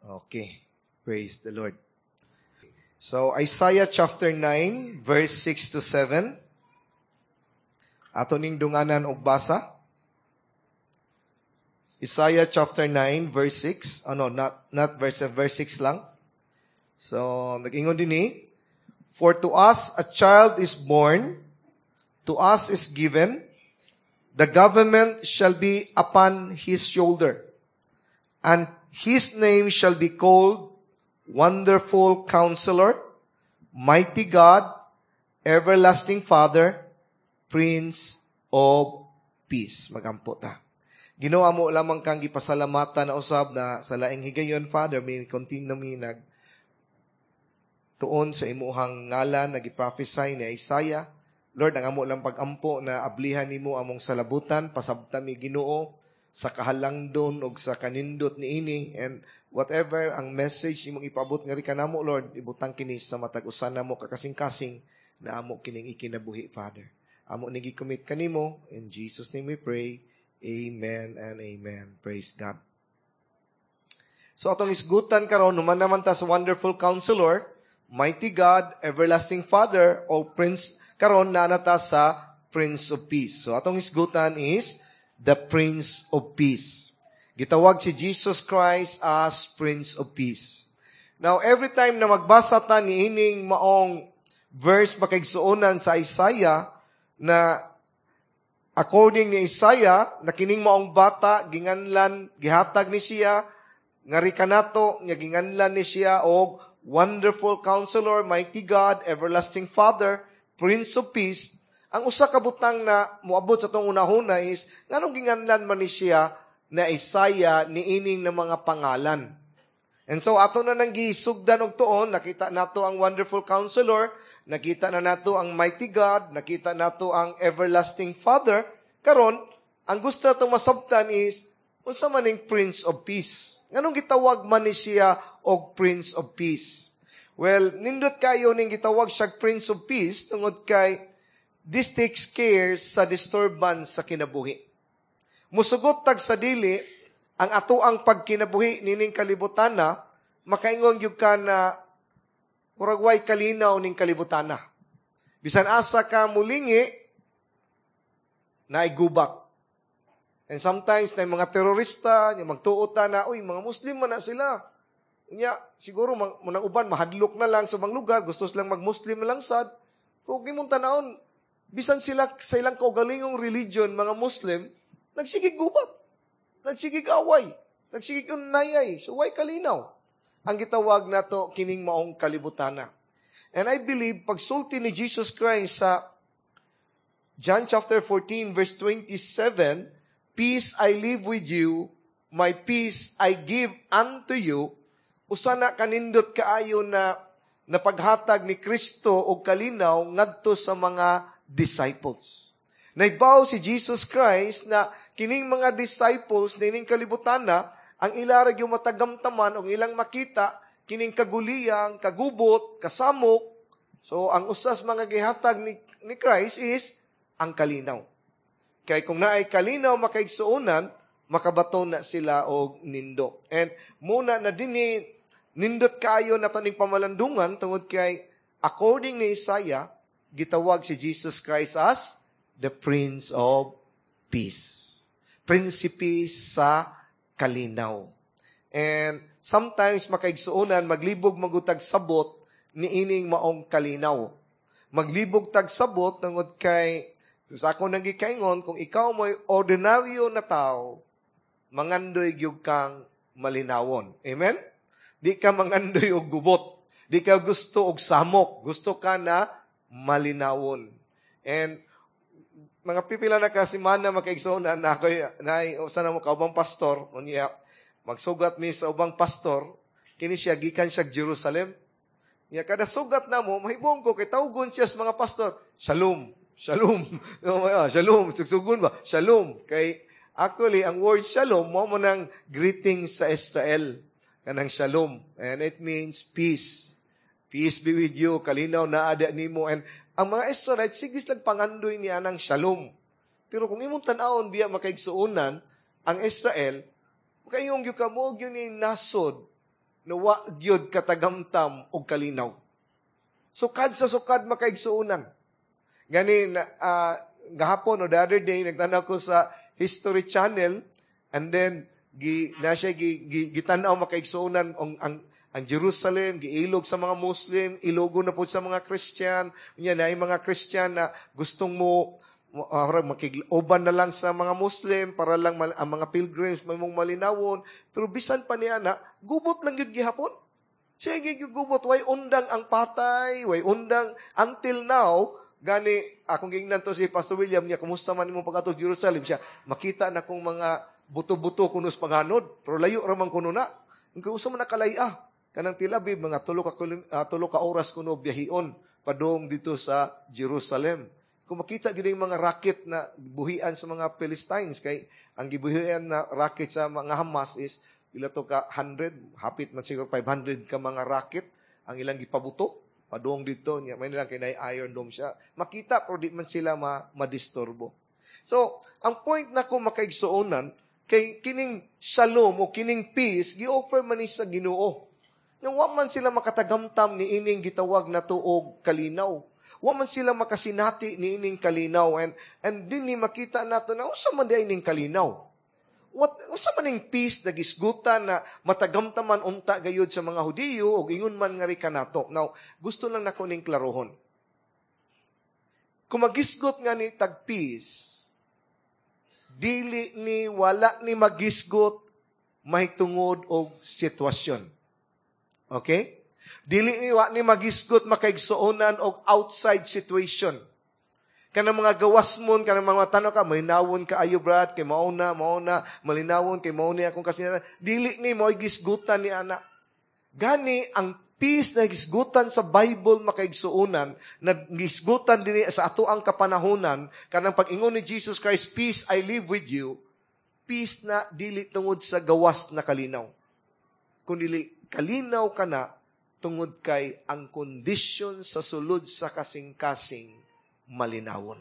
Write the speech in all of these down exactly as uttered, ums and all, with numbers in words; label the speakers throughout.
Speaker 1: Okay. Praise the Lord. So, Isaiah chapter nine, verse six to seven. Ato ning dunganan og basa. Isaiah chapter nine, verse six. Ano, not, not verse, verse six lang. So, nag-ingon dinhi, "For to us a child is born, to us is given, the government shall be upon his shoulder, and his name shall be called Wonderful Counselor, Mighty God, Everlasting Father, Prince of Peace." Magampo ta. Ginoo, amo lamang kang gipasalamatan na usab na sa laing higayon, Father, may continue mi nag tuon sa imuhang ngalan, nag-prophesy ni Isaiah. Lord, ang amo lang pag-ampo na ablihan nimo among salabutan, pasabta mi, Ginoo, sa kahalangdon og sa kanindot niini, and whatever ang message imong ipabot ngari kanamo, Lord, ibutang kini sa matag usa namo kakasing-kasing na amo kining ikinabuhi, Father. Amo ni gi-commit kanimo. In Jesus' name we pray. Amen and amen. Praise God. So atong isgutan karon, human naman ta sa Wonderful Counselor, Mighty God, Everlasting Father, o Prince, karon naa na ta sa Prince of Peace. So atong isgutan is the Prince of Peace. Gitawag si Jesus Christ as Prince of Peace. Now, every time na magbasa ta ni ining maong verse, makaigsuonan, sa Isaiah, na according ni Isaiah, na kining maong bata, ginganlan, gihatag ni siya, ngari kanato, nga ginganlan ni siya og Wonderful Counselor, Mighty God, Everlasting Father, Prince of Peace. Ang usa ka butang na moabot sa atong unahuna is, nganong ginganlan man ni siya na Isaiah niining na mga pangalan? And so, ato na nang gisugdan og tuon, nakita nato ang Wonderful Counselor, nakita na nato ang Mighty God, nakita nato ang Everlasting Father. Karon, ang gusto natong masabtan is, unsa man ning Prince of Peace? Nganong gitawag man ni siya og Prince of Peace? Well, nindot kayo ning gitawag siya Prince of Peace tungod kay this takes care sa disturbance sa kinabuhi. Musugot tag sa dili, ang ato ang pagkinabuhi nining kalibutan na, makaingon gyud ka na murag way kalinaw ning kalibutan na. Bisan asa ka mulingi, naay gubat. And sometimes, na mga terorista, yung magtuot na, "Uy, mga Muslim man na sila." Unya, siguro, mang, uban, mahadlok na lang sa mga lugar, gusto silang mag-Muslim na lang sad. Kung imong tanawon, bisan sila sa ilang kaugalingong religion, mga Muslim, nagsigig gubat. Nagsigig away. Nagsigig nayay. So, way kalinaw ang gitawag nato kining maong kalibutana. And I believe, pagsulti ni Jesus Christ sa John chapter fourteen verse twenty-seven, "Peace I leave with you, my peace I give unto you," usa na kanindot kaayo na napaghatag ni Kristo og kalinaw ngadto sa mga disciples. Naibaw si Jesus Christ na kining mga disciples nining kalibutan na ang ila ra gyud matagamtaman o ilang makita kining kaguliyang, kagubot, kasamok. So ang usas mga gihatag ni, ni Christ is ang kalinaw. Kay kung naay kalinaw, makaigsuonan, makabaton na sila og nindot. And muna na dinhi nindot kaayo na taning pamalandungan tungod kay according ni Isaiah, gitawag si Jesus Christ as the Prince of Peace. Prinsipe sa kalinaw. And sometimes, makaigsuonan, maglibog magutag sabot niining maong kalinaw. Maglibog tag sabot tungod kay sa ako nang gikaingon, kung ikaw mo'y ordinaryo na tao, mangandoy gyud kang malinawon. Amen? Di ka mangandoy og gubot. Di ka gusto og samok. Gusto ka na malinawon. And mga pipila na ka semana, makaigsoon, na ako na usa na mo kaubang pastor, unya magsugat mi sa ubang pastor, kini siya gikan siya Jerusalem. Nya kada sugat na mo, mahibong ko kay tawgon siya sa mga pastor, "Shalom, shalom." "Shalom," sugsugon ba? "Shalom." Kay actually ang word shalom mao mo nang greeting sa Israel, kanang shalom, and it means peace. "Peace be with you," kalinaw na ada nimo. And ang mga Israelites, sige lang pangandoy niya ng shalom. Pero kung imong tan-awon biya, makaigsuonan, ang Israel, kayong gyud ka mo gyud ni nasod na wa gyud katagamtam og kalinaw. Sukad sa sukad, makaigsuonan. Gani uh, gahapon o the other day, nagtanaw ko sa History Channel and then gi na siya gi, gi, gitan-aw, makaigsuonan, ang, ang ang Jerusalem giilog sa mga Muslim, ilogo na po sa mga Christian. Unya na mga Christian na gustong mo uh, makig-uban na lang sa mga Muslim para lang mal, ang mga pilgrims may mong malinawon. Pero bisan pa niya na, gubot lang yun gihapon. Sige, gubot, way undang ang patay, way undang until now. Gani, akong gingnan to si Pastor William niya, "Kumusta man imong pag-adto Jerusalem?" Siya, "Makita na kong mga buto-buto kuno sa panganod, pero layo ra man kuno na." Kung usa man nakalaya, kanang Tel Aviv, mga tulo ka, uh, tulo ka oras kuno biyahion padung dito sa Jerusalem. Kung makita gyud yung mga rocket na buhian sa mga Philistines, kay ang gibuhian na rocket sa mga Hamas is pila to ka hundred, hapit man siguro five hundred ka mga rocket ang ilang gipabuto padung dito niya. May nilang kay Iron Dome siya. Makita, pero di man sila ma madisturbo. So, ang point na ko, makaigsuonan, kay kining shalom o kining peace gi-offer man ni sa Ginoo. Nga wa man sila makatagamtam ni ining gitawag na tuog kalinaw. Wa man sila makasinati ni ining kalinaw and and dinhi makita nato na usa man di ining kalinaw. What usa man ning peace na gisgutan na matagamtaman unta gayud sa mga Hudiyo ug ingon man nga ri kanato? Now, gusto lang nako ning klarohon. Kung magisgot nga ni tag peace, dili ni wala ni magisgot mahitungod og sitwasyon. Okay? Dili ni wa ni magisgot, makaigsuonan, og outside situation. Kanang mga gawasmon, kanang mga tanaw ka, "Malinawon kaayo, brad, kay mauna, mauna, malinawon, kay mauna akong kasinatian." Dili ni mo gisgutan ni ana. Gani, ang peace na gisgutan sa Bible, makaigsuonan, na gisgutan din sa ato ang kapanahonan, kanang pag-ingon ni Jesus Christ, "Peace I leave with you," peace na dili tungod sa gawas na kalinaw. Kung dili kalinaw ka na, tungod kay ang kondisyon sa sulod sa kasing-kasing malinawon.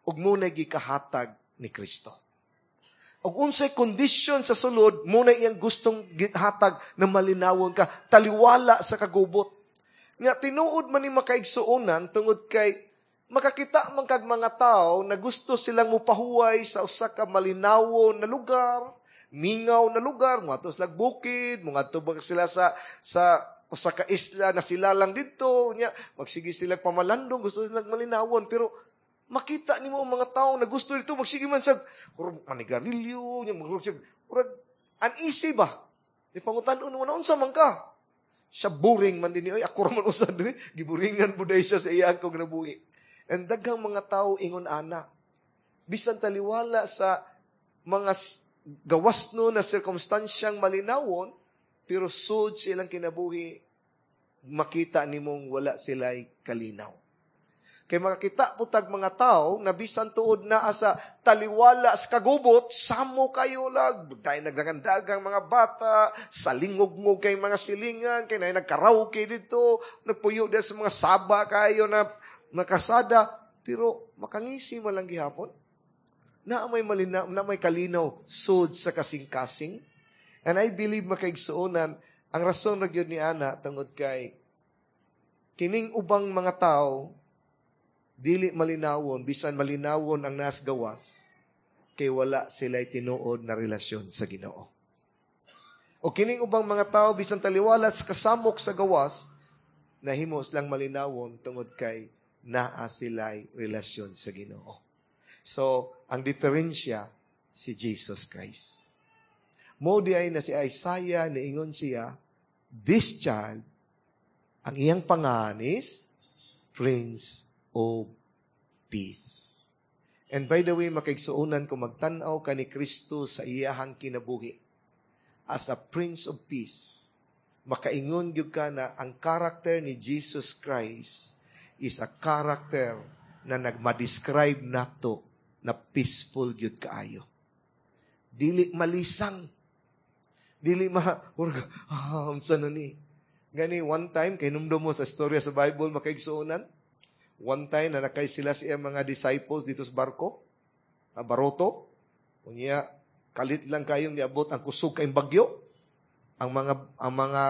Speaker 1: Ug mao na gikahatag ni Kristo. Ug unsay kondisyon sa sulod, mao na iyang gustong gihatag na malinawon ka, taliwala sa kagubot. Nga tinuod man ni, makaigsuonan, tungod kay makakita man kag mga tao na gusto silang mupahuway sa usa ka malinawon na lugar, mingaw na lugar, mga lag bukid, mga ba sila sa sa usa ka isla na sila lang dito, nya magsige sila pamalandong, gusto silang malinawon, pero makita nimo ang mga tao na gusto dito magsige man sa manigarilyo, nya magsige murag uneasy ba? Di pangutan-on mo na, "Unsa man ka?" Siya, "Boring man dinhi oy, ako ra man usa dinhi." Giboringan buday siya sa iyang kog nabuhi. And daghang mga tao ingon ana. Bisan taliwala sa mga gawas no na sirkumstansyang malinawon, pero sud silang kinabuhi, makita nimong wala sila'y kalinaw. Kay makakita po tag mga tao na bisan tuod naa sa taliwala sa kagubot, samo kayo lag, dahil nagdagandagang mga bata, salingog-ngog kay mga silingan, kay na nagkaraoke dito, nagpuyo din sa mga saba kayo na nakasada, pero makangisi mo lang gihapon. Na may malina, na may kalinaw sud sa kasing-kasing. And I believe, makaigsuonan, ang rason ra gyud ni ana tungod kay kining ubang mga tao dili malinawon bisan malinawon ang nas gawas kay wala sila tinuod na relasyon sa Ginoo. O kining ubang mga tao, bisan taliwala sa kasamok sa gawas, nahimo silang malinawon tungod kay naa sila'y relasyon sa Ginoo. So, ang diferensya si Jesus Christ. Mo di ay na si Isaiah niingon siya, "This child, ang iyang pangalan is Prince of Peace." And by the way, makaigsuonan, kung magtanaw ka ni Kristo sa iyahang kinabuhi as a Prince of Peace, makaingon gyud ka na ang character ni Jesus Christ is a character na nagma-describe nato na peaceful gyud kaayo. Dili malisang. Dili ma, ah, unsa na ni? Gani, one time, kay numdum mo sa istorya sa Bible, makaigsuonan, one time na nakay sila sa iyang mga disciples dito sa barko, na baroto, unya, kalit lang kayong niabot ang kusog kayong bagyo. Ang mga ang mga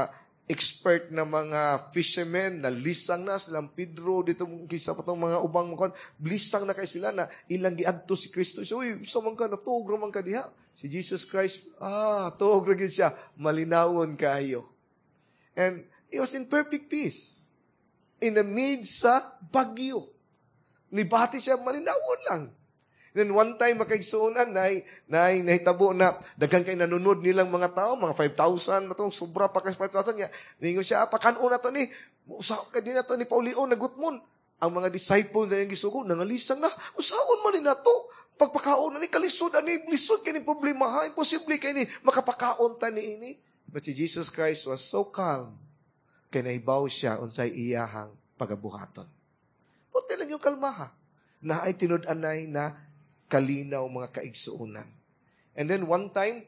Speaker 1: expert na mga fishermen na lisang na silang Pedro dito kisa pa tong mga ubang mga lisang na kay sila na ilang giadto si Kristo. So, uy, sa man ka natuog man ka diha. Si Jesus Christ, ah, tuog ra gyud siya, malinawon kaayo. And he was in perfect peace. In the midst sa bagyo. Nibati siya, malinawon lang. Then one time, makaigsuonan, nay, nay, nahitabo na, daghan kay nanunod nilang mga tao, mga five thousand na to, sobra pa kay five thousand niya. Ningon siya, "Ah, pakanon na to ni, usa ka di na to ni paulion, nagutmon." Ang mga disciple na yung gisugo, nangalisang na, "Usaon man ni nato, pagpakaon na ni, kalisod ani, lisod kay ni problema, ha, imposible kay ni, makapakaon ta ni ini." But si Jesus Christ was so calm, kay nahibaw siya unsay iyahang pagabuhaton. Punti lang yung kalmaha. Na ay tinud-anay na kalinaw, mga kaigsuonan. And then one time,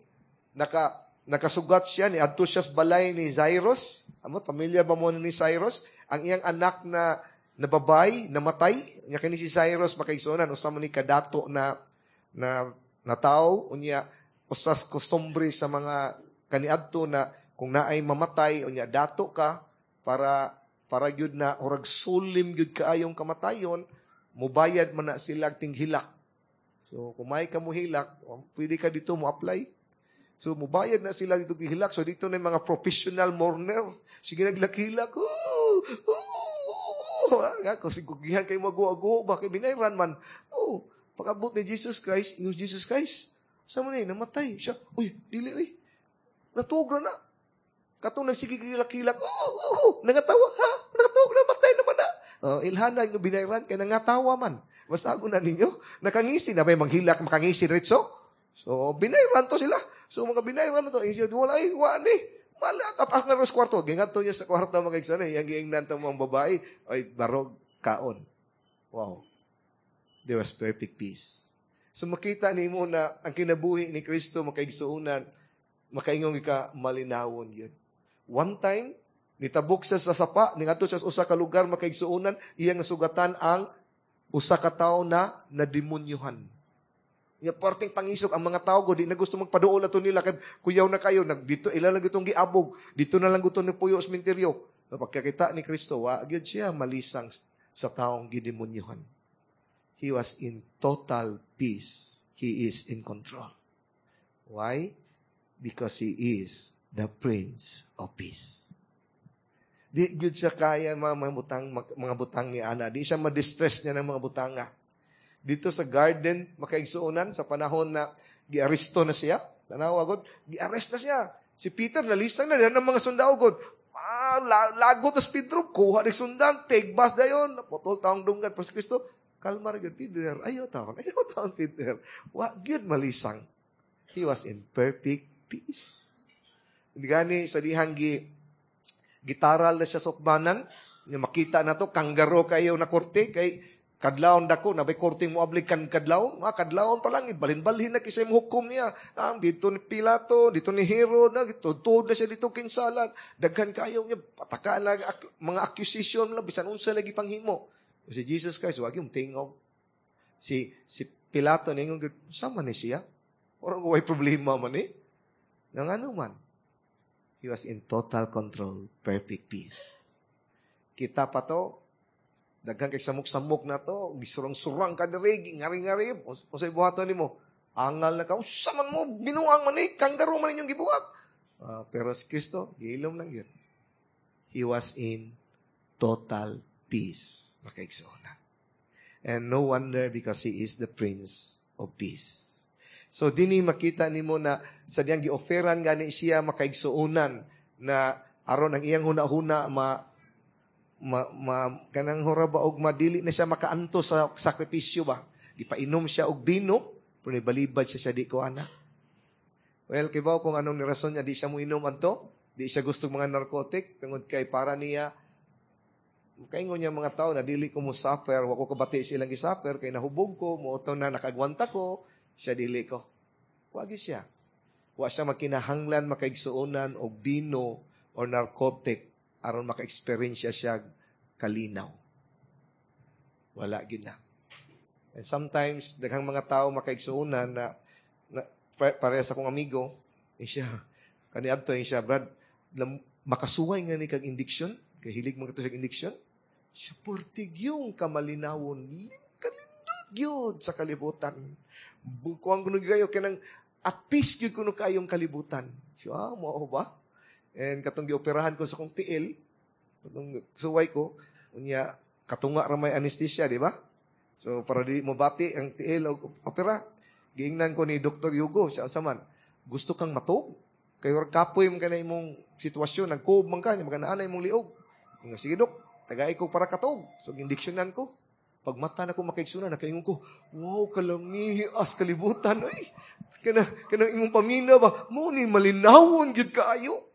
Speaker 1: naka, nakasugat siya, ni adto siya sa balay ni Jairus. Amo, pamilya ba mo ni Cyrus? Ang iyang anak na na babay, namatay. Nya kini si Jairus, makaigsuonan, usa man ni kadato na na na tao, unya usas kostumbre sa mga kaniadto na kung naay mamatay, unya dato ka para para gyud na orag solemn gyud kaayong kamatayon, mubayad man na sila tinghilak. So, kung may ka mo hilak, pwede ka dito mo apply. So, mubayad na sila dito gihilak. So, dito na yung mga professional mourner. Sige, naglakilak. Oh, oh, oh. Kasi kugihan kayo mag-go, bakit binayran man? Oh, pag-abot ni Jesus Christ, yung Jesus Christ, sa mo na namatay. Siya, "Uy, dili, uy. Natugra na." Katong nagsige kilak-kilak, oh, oh, oh, nangatawa, ha? Nakatuog na, matay naman na. Oh, ilhana yung binayran, kay nangatawa man. Basta na ninyo, nakangisi na may manghilak, makangisi ritso. So, binayran to sila. So, mga binayran na to, eh, wala ay, wala ni. Mala, at ang sa kwarto. Gingadto niya sa kwarto, mga igsana, yung giingnan to mga babae, ay, barog, kaon. Wow. There was perfect peace. So, makita nimo na ang kinabuhi ni Kristo, makaigsuonan, makaingong ka, malinawon yun. One time, nitabok siya sa sapa, ningadto siya sa usa ka lugar, makaigsuonan, iyang nasugatan ang usa ka tawo na nademonyohan. Ya parting pangisok ang mga tao di na gusto magpaduol ato nila kay kuyaw na kayo nag dito ila lang gitong giabog dito na lang gusto ni puyo sa sementeryo. Pagkakita ni Kristo, wa gyud siya malisang sa taong gidemonyohan. He was in total peace. He is in control. Why? Because he is the Prince of Peace. Di gyud siya kaya mga, mga butang mga butang ni ana. Di siya ma-distress niya ng mga butanga. Dito sa garden, makaigsuonan, sa panahon na giaresto na siya. Tanawa god, giarrest na siya. Si Peter nalisang na diyan ng mga sundao god. Ah, lagot na si Pedro, kuha ni sundang, take bus dayon, putol taong dunggan. Pero si Kristo, kalma ra gyud, "Peter, ayo taon, ayo taon, Peter." Wa gyud malisang. He was in perfect peace. Gani sa dihang gi gitaral na siya sa ukbanan, nga makita na to, kanggaro kayo na korte, kay kadlawon dako, na bay korte mo ablig kan kadlawon, ah, kadlawon pa lang, ibalhin-balhin na kisay mo hukom niya. Ah, dito ni Pilato, dito ni Herod, na, tudtod na siya dito kinsalan. Daghan kayo niya, pataka lang, ak- mga accusation lang, bisan unsa lagi panghimo. Si Jesus Christ, wag yung tingog. Si, si Pilato, ningon, sama ni siya? Orang way problema man eh. Nang ano man? He was in total control, perfect peace. Kita pa to, daghan kay samok-samok na to, gisurang-surang ka diri, ngari-ngari, unsay buhaton nimo? Angal na ka, unsa man mo, binuang man eh, kangaroo man inyong gibuhat. Uh, pero si Kristo, giilom lang yun. He was in total peace, makaigsoona. And no wonder, because he is the Prince of Peace. So dinhi makita nimo na sa diyang gi-offeran gani siya, makaigsuonan, na aron ang iyang huna-huna ma ma, ma kanang hura ba og madili na siya makaanto sa sakripisyo ba. Gipainom siya og bino pero nibalibad siya siya "Di ko ana." Well, kibaw kung anong rason niya di siya mo inom adto, di siya gusto mga narcotic tungod kay para niya kaingon niya mga tao na dili ko mo suffer, wa ko kabati silang gi-suffer kay nahubog ko, mo na nakagwanta ko, siya dili ko. Wagi siya. Wa siya makinahanglan, makaigsuonan, og bino or narcotic aron maka-experience siya kalinaw. Wala gid na. And sometimes daghang mga tao, makaigsuonan, na, na parehas akong amigo, eh siya Kani adto siya, "Brad, makasuway nga ni kag indiction, kay hilig man kato siya indiction." Siya pertig yung kamalinawon, kalindot gyud sa kalibutan. Bukuan kuno kayo kanang at peace gyud kuno kayong kalibutan. Siya, "Ah, mao ba?" And katong gioperahan ko sa kong tiil, katong suway ko, unya katunga ra may anesthesia, di ba? So para di mabati ang tiil og opera, giingnan ko ni Doctor Hugo, siya unsa man, "Gusto kang matug? Kay kapoy man ka na imong sitwasyon, nagkuob man ka, maganaan na imong liog." Ingon, "Sige, Dok, tagay ko para katog." So gindiksyonan ko. Pagmata na ko, makaigsunan, nakaingon ko, "Wow, kalami as kalibutan, oy." Kana, kanang imong pamina ba, mo ni malinawon gyud kaayo.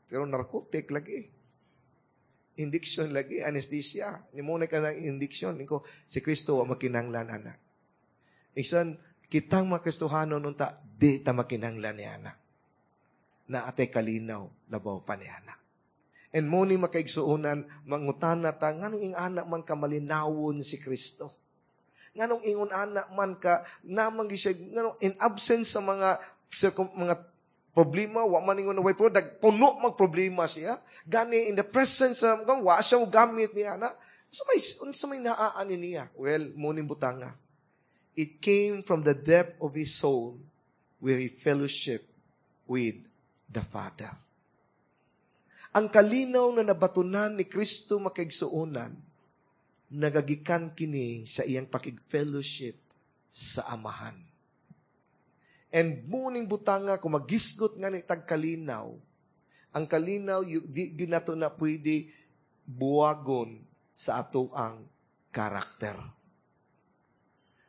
Speaker 1: Pero narcotic lagi. Indiction lagi, anesthesia. Ni mo na ka ng indiction. Ingon ko, si Kristo wa makinanglan ana. Isan, kitang mga Kristohanon unta, di ta makinanglan ni ana. Naa tay kalinaw, labaw pa ni ana. And mo ni, makaigsuonan, mangutana ta, nganong ing ana man ka malinawon si Kristo? Nganong ingon ana man ka, namang siya, nganong in absence sa mga circum, mga problema, wa man ingon na way problema, puno mag problema siya. Gani in the presence sa, wa siya mo gamit niya na, sa may, sa may naaani niya. Well, mo ni butanga. It came from the depth of his soul where he fellowship with the Father. Ang kalinaw na nabatunan ni Kristo, makaigsuonan, nagagikan kini sa iyang pakig-fellowship sa Amahan. And muning butanga, kung magisgot nga ni tag kalinaw, ang kalinaw, di, di nato na pwede buwagon sa ato ang karakter.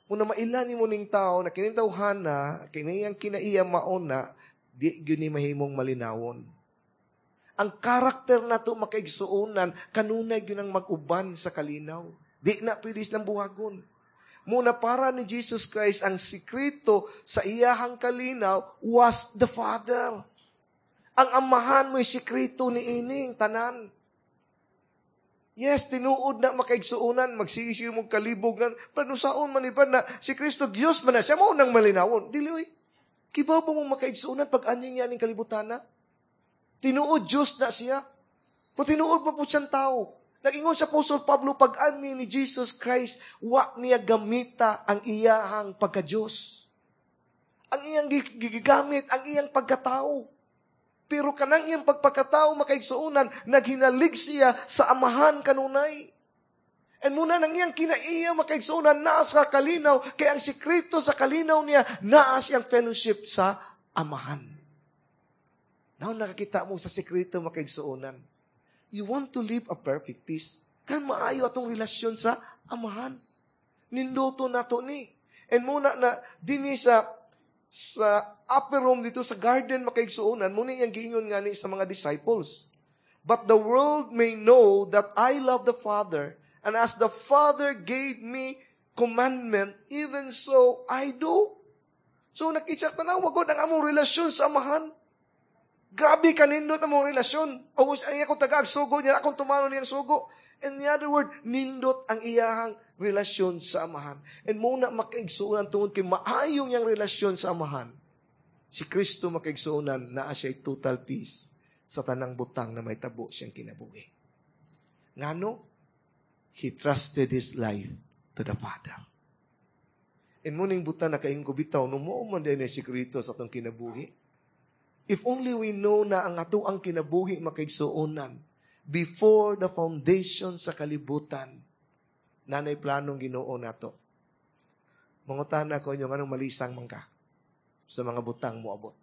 Speaker 1: Muna mailan mo ning tao na kining tawhana, kini ang kinaiya mauna, di gyud ni mahimong malinawon. Ang karakter nato, makaigsuonan, kanunay gyud ang mag-uban sa kalinaw. Di na pwede silang buhagon. Muna para ni Jesus Christ, ang sikreto sa iyahang kalinaw was the Father. Ang Amahan mo'y sikreto ni ining tanan. Yes, tinuod na, makaigsuonan, magsige mo kalibog nan, pero saon man iba na si Kristo Dios man na siya mo nang malinawon. Dili oy. Kibaw ba mo, makaigsuonan, pag anyo niya ning kalibutan na? Tinuod Diyos na siya. Pero tinuod pa po siyang tao. Nag-ingon sa Apostol Pablo, pag ani ni Jesus Christ, wa niya gamita ang iyahang pagka-Diyos. Ang iyang gigamit, ang iyang pagkatao. Pero kanang iyang pagpagkatao, makaigsuonan, naghinalig siya sa Amahan kanunay. And muna nang iyang kinaiya, makaigsuonan, naa sa kalinaw, kay ang sikreto sa kalinaw niya, naa siyang fellowship sa Amahan. Now nakakita mo sa sikreto, makaigsuonan. You want to live a perfect peace. Kan maayo atong relasyon sa Amahan. Ninduto nato ni. And muna na dinhi sa sa upper room dito sa garden, makaigsuonan, muna iyang giingon ngani sa mga disciples. "But the world may know that I love the Father, and as the Father gave me commandment, even so I do." So nakitsak tanawa gud ang among relasyon sa Amahan. Grabe kanindot among relasyon. O ay ako tagaag sugo niya, akong tumano niyang sugo. In the other word, nindot ang iyahang relasyon sa Amahan. And muna, makaigsuonan, tungod kay maayong niyang relasyon sa Amahan. Si Kristo, makaigsuonan, naa siya total peace sa tanang butang na may tabo siyang kinabuhi. Ngano? He trusted his life to the Father. And muning butang na kaingon ko bitaw, no mo man din si Kristo sa atong kinabuhi. If only we know na ang ato ang kinabuhi, makaigsuonan, before the foundation sa kalibutan, nanay planong Ginoo nato. Mangutana ko inyo, nganong malisang man ka sa mga butang mo abot?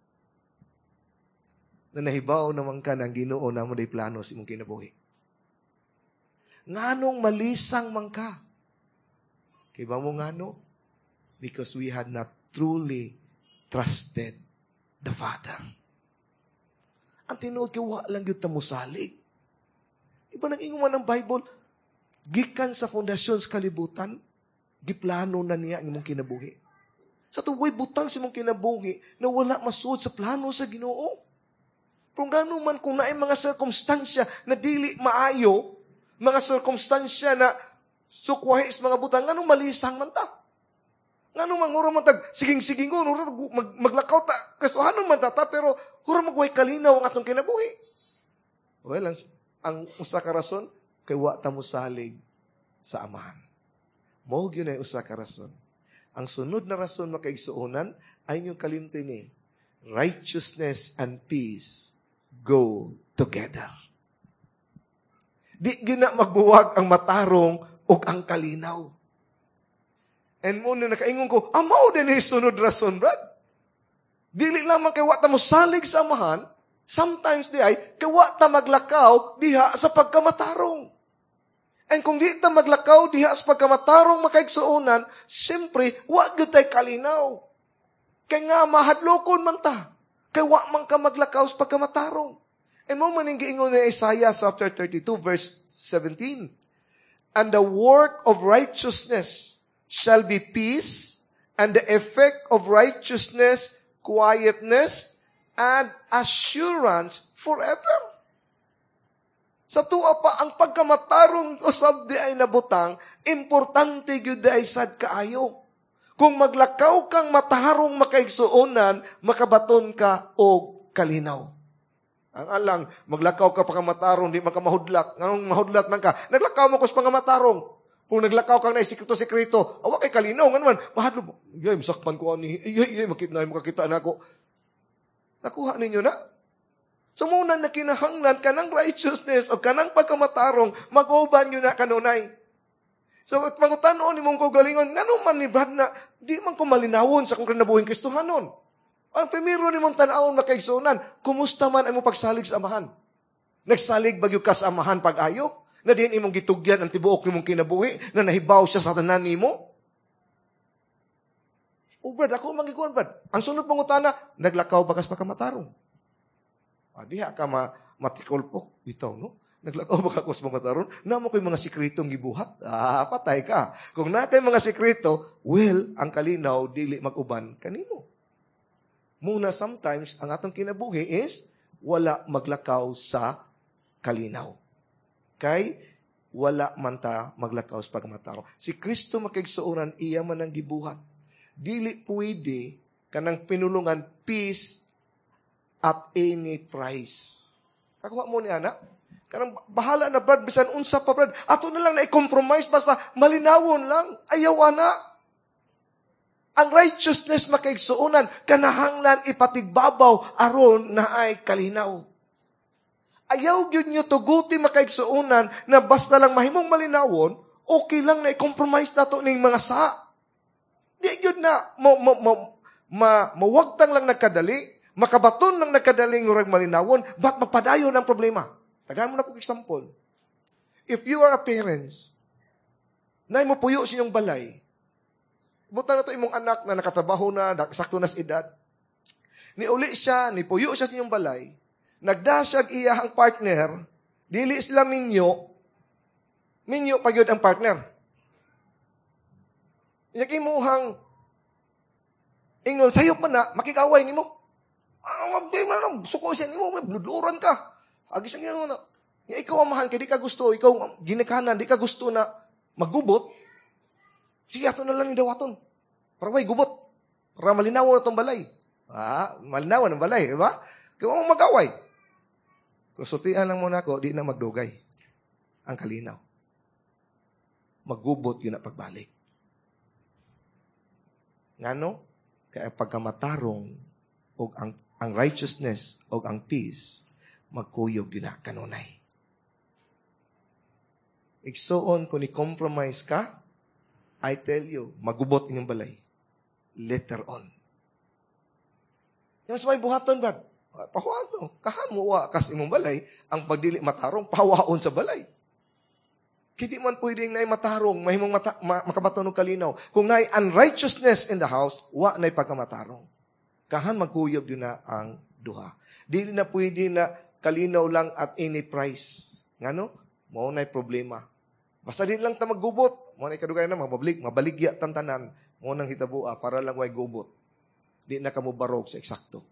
Speaker 1: Na nahibaw naman ka ng Ginoo na mo day plano sa imong kinabuhi. Nganong malisang man ka? Kay ba mo ngano? Because we had not truly trusted the Father. Ang tinuod kay wa lang gyud ta mosalig. Iba nang ingon man ng Bible, gikan sa pundasyon sa kalibutan, giplano na niya ang imong kinabuhi. Sa tuway butang sa imong kinabuhi na wala masuod sa plano sa Ginoo. Kung gano'n man kung naay mga sirkumstansya na dili maayo, mga sirkumstansya na sukwahi sa mga butang, nganong malisang man ta? Ngano man mura man tag siging-sigingon, mura mag, maglakaw ta Kristohanon man ta ta pero mura mag way kalinaw ang atong kinabuhi. Well, ang, ang usa ka rason kay wa ta mosalig sa Amahan. Mao gyud ay usa ka rason. Ang sunod na rason makaigsuonan ay inyong kalimti ni righteousness and peace go together. Di gyud na magbuwag ang matarong ug ang kalinaw. And mao na nakaingon ko, mao din ni sunod rason, Brad. Dili lamang kay wa ta mosalig sa Amahan, sometimes di ay, kay wa ta maglakaw diha sa pagkamatarong. And kung di ta maglakaw diha sa pagkamatarong makaigsuonan, siyempre, wa gyud tay kalinaw. Kay nga mahadlokon man ta. Kay wa man ka maglakaw sa pagkamatarong. And mao man giingon ni Isaiah chapter thirty-two verse seventeen. And the work of righteousness shall be peace, and the effect of righteousness, quietness, and assurance forever. Sa tuwa pa, ang pagkamatarong usab di ay nabutang, importante gyud di ay sad kaayo. Kung maglakaw kang matarong makaigsuonan, makabaton ka og kalinaw. Ang alang, maglakaw ka pa matarong, di man ka mahudlat. Nganong mahudlat man ka? Naglakaw mo kus pangamatarong. Kung naglakaw kang na sikreto-sikreto, awa kay kalinaw, ngano man, mahadlo mo. Yay, masakpan ko ani. Yay, yay, makita na, makakita na ako. Nakuha ninyo na? So muna na kinahanglan kanang righteousness o kanang pagkamatarong, mag-uban yun na kanunay. So, at pangutanon ni mong kaugalingon, ngano man ni Brad na, di man ko malinawon sa akong kinabuhing Kristohanon. Ang primero ni mong tan-awon makaigsuonan, kumusta man ang mong pagsalig sa Amahan? Nagsalig ba gyud ka sa Amahan pag-ayo? Na diin imong gitugyan ang tibuok nimong kinabuhi, na nahibaw siya sa tanan nimo? O Brad, ako magikuan Brad. Ang sunod pangutana, naglakaw ba kas pagkamatarong? Ah, diha ka ma matikulpok bitaw, no? Naglakaw ba ka kus pagkamatarong? Namo ko'y mga sikretong gibuhat. Ah, patay ka. Kung na kay mga sikreto, well, ang kalinaw dili mag-uban kanimo. Muna sometimes, ang atong kinabuhi is wala maglakaw sa kalinaw. Kay wala man ta maglakaw sa pagkamatarong. Si Kristo makigsuoran, iya man ang gibuhat. Dili pwede kanang pinulungan peace at any price. Kakuha mo ni ana? Kanang bahala na Brad, bisan unsa pa Brad. Ato na lang na i-compromise basta malinawon lang. Ayaw ana. Ang righteousness makaigsuonan, kanahanglan ipatigbabaw aron na ay kalinaw. Ayaw gyud nyo tuguti makaigsuonan na basta lang mahimong malinawon, okay lang na i-compromise nato ning mga sa. Di gyud na mo, mo, mo, ma, mawagtang lang nagkadali, makabaton lang nagkadali ngurag malinawon, but magpadayon ang problema. Tagaan mo na kong example. If you are a parents, na mo puyo sa inyong balay, buta na to imong anak na nakatrabaho na, sakto na sa edad, ni uli siya, ni puyo siya sa inyong balay, nagda siya iyahang partner, dili sila minyo, minyo pa gyud ang partner. Inya imuhang ingnon, sayop man na, makikaway nimo. Ah, di man suko siya nimo, bludluran ka. Agi sa Ginoo na. Nga ikaw amahan kay di ka gusto, ikaw ginikanan, di ka gusto na magubot. Sige, ato na lang ni dawaton. Para way gubot. Para malinaw na tong balay. Ah, malinaw ang balay, di ba? Kaya mo mag-away. Pero sultian lang muna ako, di na magdugay ang kalinaw. Magubot yun na pagbalik. Ngano? Kaya pagkamatarong o ang, ang righteousness o ang peace, magkuyog yun na kanunay. Igsuon, kung i-compromise ka, I tell you, magubot inyong balay. Later on. Yung sa may buhaton, Brad, pahuwato. Kahamuwa kas imong balay, ang pagdili matarong, pahawaon sa balay. Kaya di man pwedeng naay matarong, mahimong mata, ma, makabaton og kalinaw. Kung naay unrighteousness in the house, wa naay pagkamatarong. Kahan magkuyog yun na ang duha. Dili na pwede na kalinaw lang at any price. Ngano? Mao na'y problema. Basta di lang ta maggubot. Mao na'y kadugay na mabalik, mabaligya tantanan. Mao nang hitabua para lang way gubot. Di na kamubarog sa eksakto.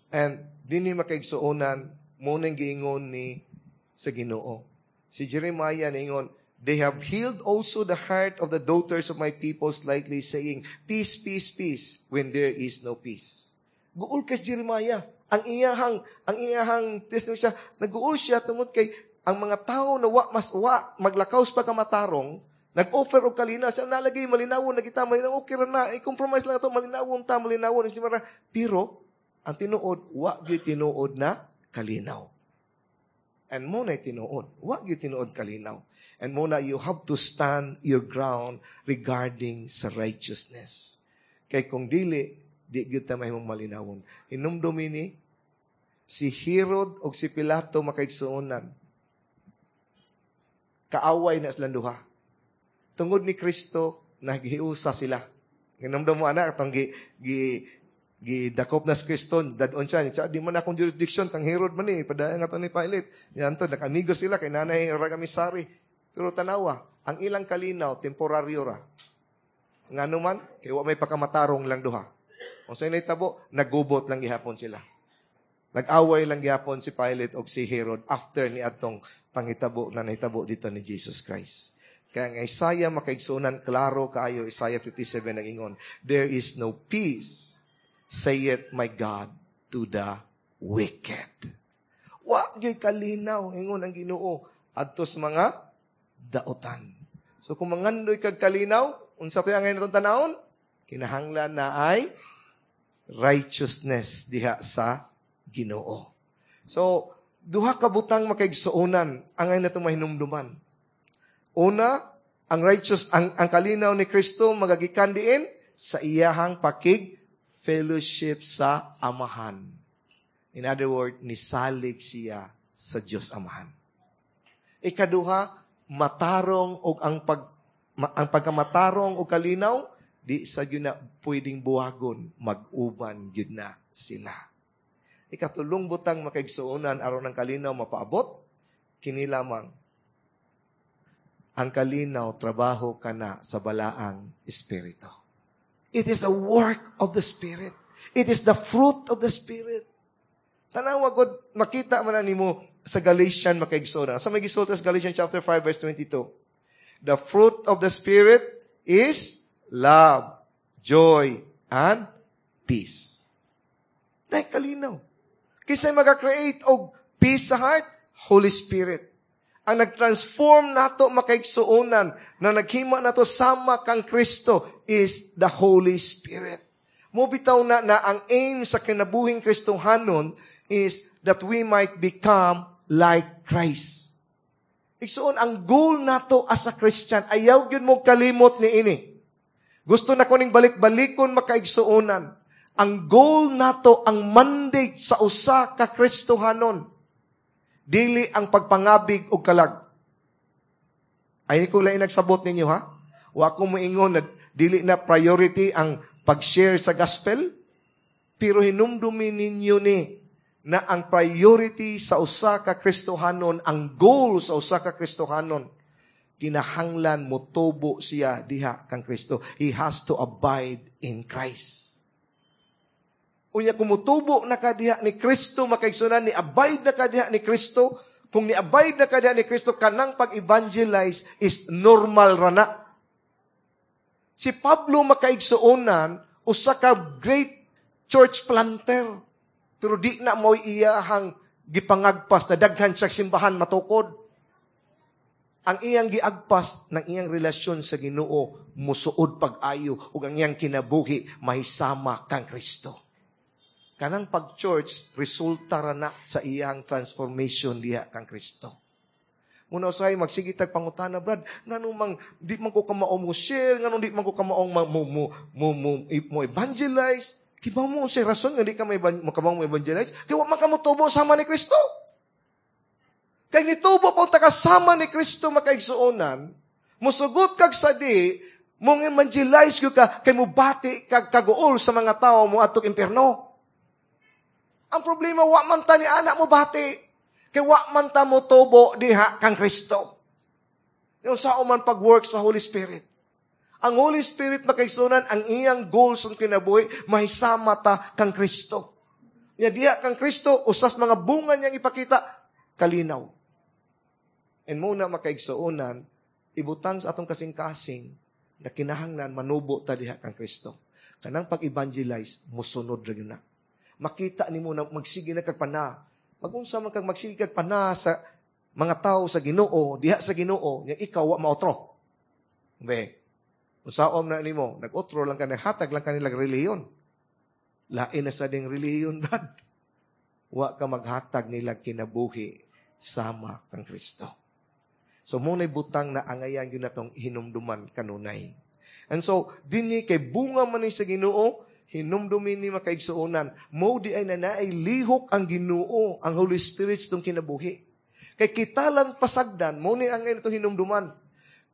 Speaker 1: And dinhi makaigsuonan, mao nang giingon ni sa Ginoo. Si Jeremiah niingon, They have healed also the heart of the daughters of my people slightly, saying, Peace, peace, peace, when there is no peace. Guol kay Jeremiah. Ang iyahang, ang iyahang testimony siya, naguol siya tungod kay ang mga tao na wa mas wa maglakaw sa pagkamatarong, nag-offer og kalinaw, siya nalagay malinawon na kita malinaw okay ra na, i-compromise lang ato malinawon ta malinawon pero ang tinuod wa gyud tinuod na kalinaw. And mao na tinuod, wa gyud tinuod kalinaw. And mao na you have to stand your ground regarding sa righteousness. Kay kung dili, di gyud ta mahimong malinawon. Hinumdumi ni si Herod og si Pilato makaigsuonan. Kaaway na silang duha. Tungod ni Kristo, naghiusa sila. Hinumdum mo ana atong gi, gi gidakop na si Kristo, dad-on siya. Siya, di man akong jurisdiction, kang Herod man ni, padayon nga to ni Pilate. Yan to, nakamigo sila, kay nanay ra kami sari. Pero tanawa, ang ilang kalinaw, temporaryo ra. Ngano man, kay wa may pagkamatarong lang duha. Kung sa nahitabo, nagubot lang gihapon sila. Nag-away lang gihapon si Pilate og si Herod after ni atong panghitabo na nahitabo dito ni Jesus Christ. Kaya ang Isaiah makaigsunan, klaro kaayo, Isaiah fifty-seven nag-ingon, There is no peace, saith my God, to the wicked. Wa gyud kalinaw, ingon ang Ginoo, adto sa mga daotan. So kung mangandoy kag kalinaw, unsa to'y angay natong tanawon? Kinahanglan na ay righteousness diha sa Ginoo. So, duha ka butang makaigsuonan angay natong mahinumduman. Una, ang righteous ang, ang kalinaw ni Kristo magagikan diin sa iyahang pakig fellowship sa Amahan. In other words, nisalig siya sa Dios Amahan. Ikaduha, matarong og ang pag ma, ang pagkamatarong og kalinaw di sa gyud na pwedeng buwagon, mag-uban gyud na sila. Ikatulong butang makaigsuonan aron ang kalinaw mapaabot, kini lamang ang kalinaw trabaho kana sa balaang espiritu. It is a work of the Spirit. It is the fruit of the Spirit. Tanawa god makita man na nimo sa Galatian makaigsuonan. Sa may gisulti sa Galatians chapter five verse twenty-two. The fruit of the Spirit is love, joy, and peace. Dahil kalinaw. Kinsay maka-create og peace sa heart? Holy Spirit. Ang nag-transform nato makaigsuonan, na naghima nato sama kang Kristo is the Holy Spirit. Mao bitaw na na ang aim sa kinabuhing Kristohanon is that we might become like Christ. Igsuon, ang goal nato as a Christian, ayaw gyud mo kalimot ni ini. Gusto na ko ning balik-balikon makaigsuonan. Ang goal nato, ang mandate sa usa ka Kristohanon, dili ang pagpangabig og kalag. Ay ko lang nagsabot ninyo ha. Wa ko moingon na dili na priority ang pag-share sa gospel, pero hinumdumi ninyo ni na ang priority sa usa ka Kristohanon, ang goal sa usa ka Kristohanon, kinahanglan motubo siya diha kang Kristo. He has to abide in Christ. Unya kung motubo na ka diha ni Kristo makaigsunan, ni abide na ka diha ni Kristo, kung ni abide na ka diha ni Kristo, kanang pag-evangelize is normal ra na. Si Pablo makaigsuonan, usa ka great church planter. Pero di na mo'y iyahang gipangagpas na daghan siya simbahan matukod. Ang iyang giagpas ng iyang relasyon sa Ginoo musuod pag-ayo ug ang iyang kinabuhi mahisama kang Kristo. Kanang pag-church, resulta ra na sa iyang transformation diha kang Kristo. Muna usahay magsige tag pangutana, Brad, nganong mang di man ko kamao mo share, nganong di man ko kamaong mo mo mo mo, mo, mo evangelize. Kibaw mo unsay rason nga di ka may mo kamao mo evangelize? Kay wa man ka motubo sama ni Kristo. Kay nitubo kung takasama ni Kristo makaigsuonan, musugot kag sadi, mong evangelize ka kay mubati kag kaguol sa mga tawo mo adtong impierno. Ang problema, wa man ta ni anak mo bati. Kay wa man ta mo tubo diha kang Kristo. Yung sao man pag-work sa Holy Spirit. Ang Holy Spirit makaigsuonan, ang iyang goal sa kinabuhi, mahisama ta kang Kristo. Nya diha kang Kristo, usas mga bunga niyang ipakita, kalinaw. And muna makaigsuonan, Ibutang sa atong kasing-kasing na kinahanglan manubo ta diha kang Kristo. Kanang pag-evangelize, musunod ra gyud na. Makita nimo na magsige na kag pana. Magunsa man kag magsige kag pana sa mga tao sa Ginoo, diha sa Ginoo, nya ikaw wa maotro. Be. Unsaon na nimo, nag-otro lang ka, naghatag lang kanila relihiyon. Lain na sa ding relihiyon, Brad. Wa ka maghatag nila kinabuhi sama kang Kristo. So, mao na'y butang na angayan yun natong hinumduman kanunay. And so, dinhi kay bunga man ni sa Ginoo, hinumdumin ni makaigsuonan, mo di ay nanaay lihok ang Ginoo, ang Holy Spirit sa itong kinabuhi. Kay kita lang pasagdan, mo ni ang ito hinumduman.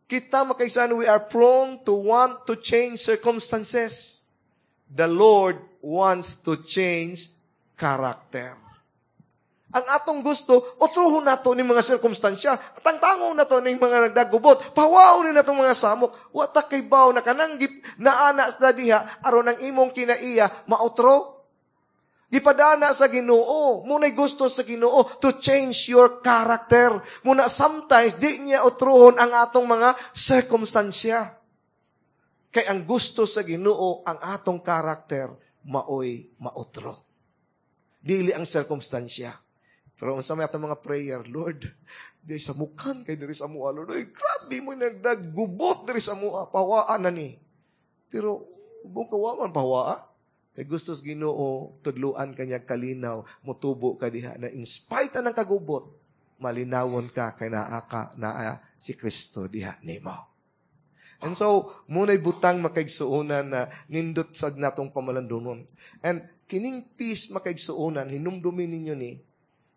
Speaker 1: Kita makaigsuonan, we are prone to want to change circumstances. The Lord wants to change character. Ang atong gusto, otruhon nato ni mga sirkumstansya. Tangtangon nato ni mga nagdagubot. Pawaw ni nato mga samok. Wa ta kaybaw na kanang gip, naana sa diha, aron ang imong kinaiya, maotro. Gipadana sa Ginoo. Muna'y gusto sa Ginoo to change your character. Muna sometimes, di niya otruhon ang atong mga sirkumstansya. Kay ang gusto sa Ginoo, ang atong karakter, maoy maotro. Dili ang sirkumstansya. Pero unsa may atong mga prayer, Lord, di sa mukan kay diri sa mua, Lord. Oy, grabe mo nagdagubot diri sa mua, pawaan na ni. Pero buong kawa man pawaa. Kay gusto sa Ginoo, tudluan kanya kalinaw, mutubo ka diha na in spite ng kagubot, malinawon ka kay naa ka naa si Kristo diha nimo. And so, muna'y butang makaigsuonan na nindot sad natong pamalandunon. And kining peace makaigsuonan, hinumdumin ninyo ni,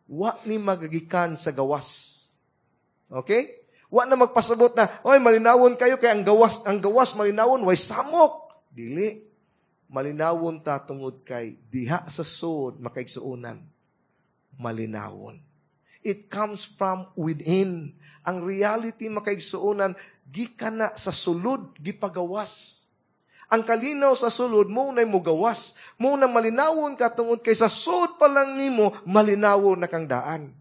Speaker 1: wa ni magagikan sa gawas. Okay? Wa na magpasabot na, oy, malinawon kayo kay ang gawas, ang gawas malinawon, way samok. Dili. Malinawon ta tungod kay diha sa sud makaigsuonan. Malinawon. It comes from within. Ang reality makaigsuonan, gikan na sa sulod, gipagawas. Ang kalinaw sa sulod, mo na'y mugawas. Mo na malinawon ka tungod kay sa sud pa lang nimo, malinawon na kang daan.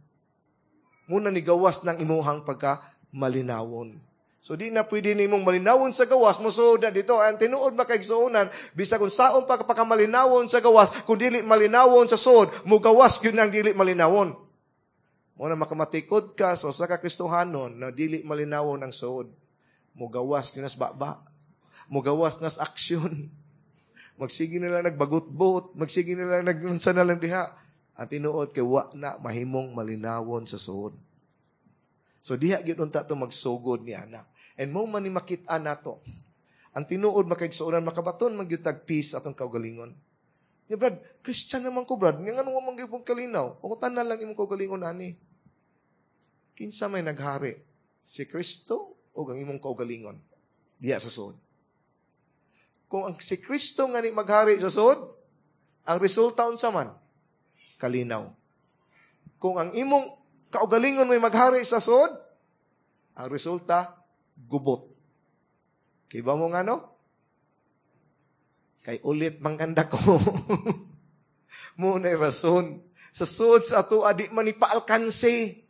Speaker 1: Mo na nigawas ng imuhang pagka malinawon. So di na pwede nimong malinawon sa gawas, mosuod na dito. Ang tinuod makaigsuonan, bisa kung saon pa ka pagkamalinawon sa gawas, kung dili malinawon sa sud, mugawas yun ang dili malinawon. Mo na makamatikod ka sa usa ka Kristohanon na dili malinawon ang sud. Mugawas yun nas baba. Mugawas nas aksyon. Magsige na lang nagbagot-bot, magsige na lang nagunsa na lang diha. Ang tinuod kay wa na mahimong malinawon sa sud. So diha gyud unta to magsugod ni ana. And mo man ni makit-an nato. Ang tinuod makaigsuonan makabaton man gyud tag peace atong kaugalingon. Nya Brad, Christian naman ko Brad, nga ngano man gyud kalinaw? Pangutan na lang imong kaugalingon ani. Kinsa may naghari? Si Kristo o ang imong kaugalingon? Diha sa sud. Kung ang si Kristo nga ni maghari sa sud, ang resulta unsa man? Kalinaw. Kung ang imong kaugalingon may maghari sa sud, ang resulta, gubot. Kay ba mo nga no? Kay ulit manganda ko. Mo na'y rason. Sa sud sa ato, di man ni paalkanse.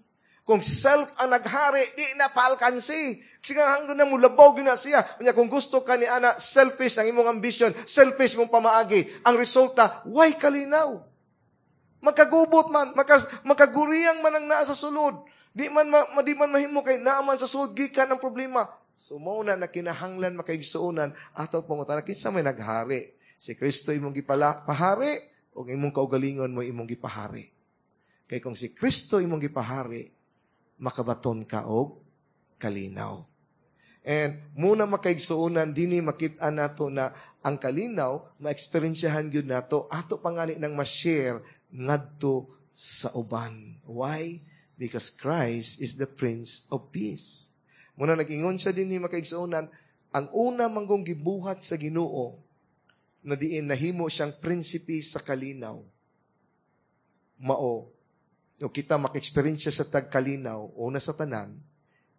Speaker 1: Kung self ang naghari, di na paalkanse. Sige hanggang na mulabaw gina siya. Kanya kung gusto ka ni ana, selfish ang imong ambition, selfish mong pamaagi. Ang resulta, way kalinaw. Magkagubot man, makas, magkaguriyang man ang naa sa sulod. Di man, ma, di man mahimo kay naa man sa sulod, gikan ang problema. So mao na na kinahanglan makaigsuonan ato pangutana kinsa may naghari. Si Kristo imong gipala pahari o imong kaugalingon mo imong gipahari. Kay kung si Kristo imong gipahari, makabaton ka og kalinaw. And muna makaigsuonan dinhi makit-an nato na ang kalinaw maeksperiensyahan gyud nato ato pangani nang ma-share ngadto sa uban. Why? Because Christ is the Prince of Peace. Muna nag-ingon siya dinhi makaigsuonan, ang una manggong gibuhat sa Ginoo na diin nahimo siyang prinsipe sa kalinaw. Mao o kita maka-eksperyensya sa tagkalinaw, una sa tanan,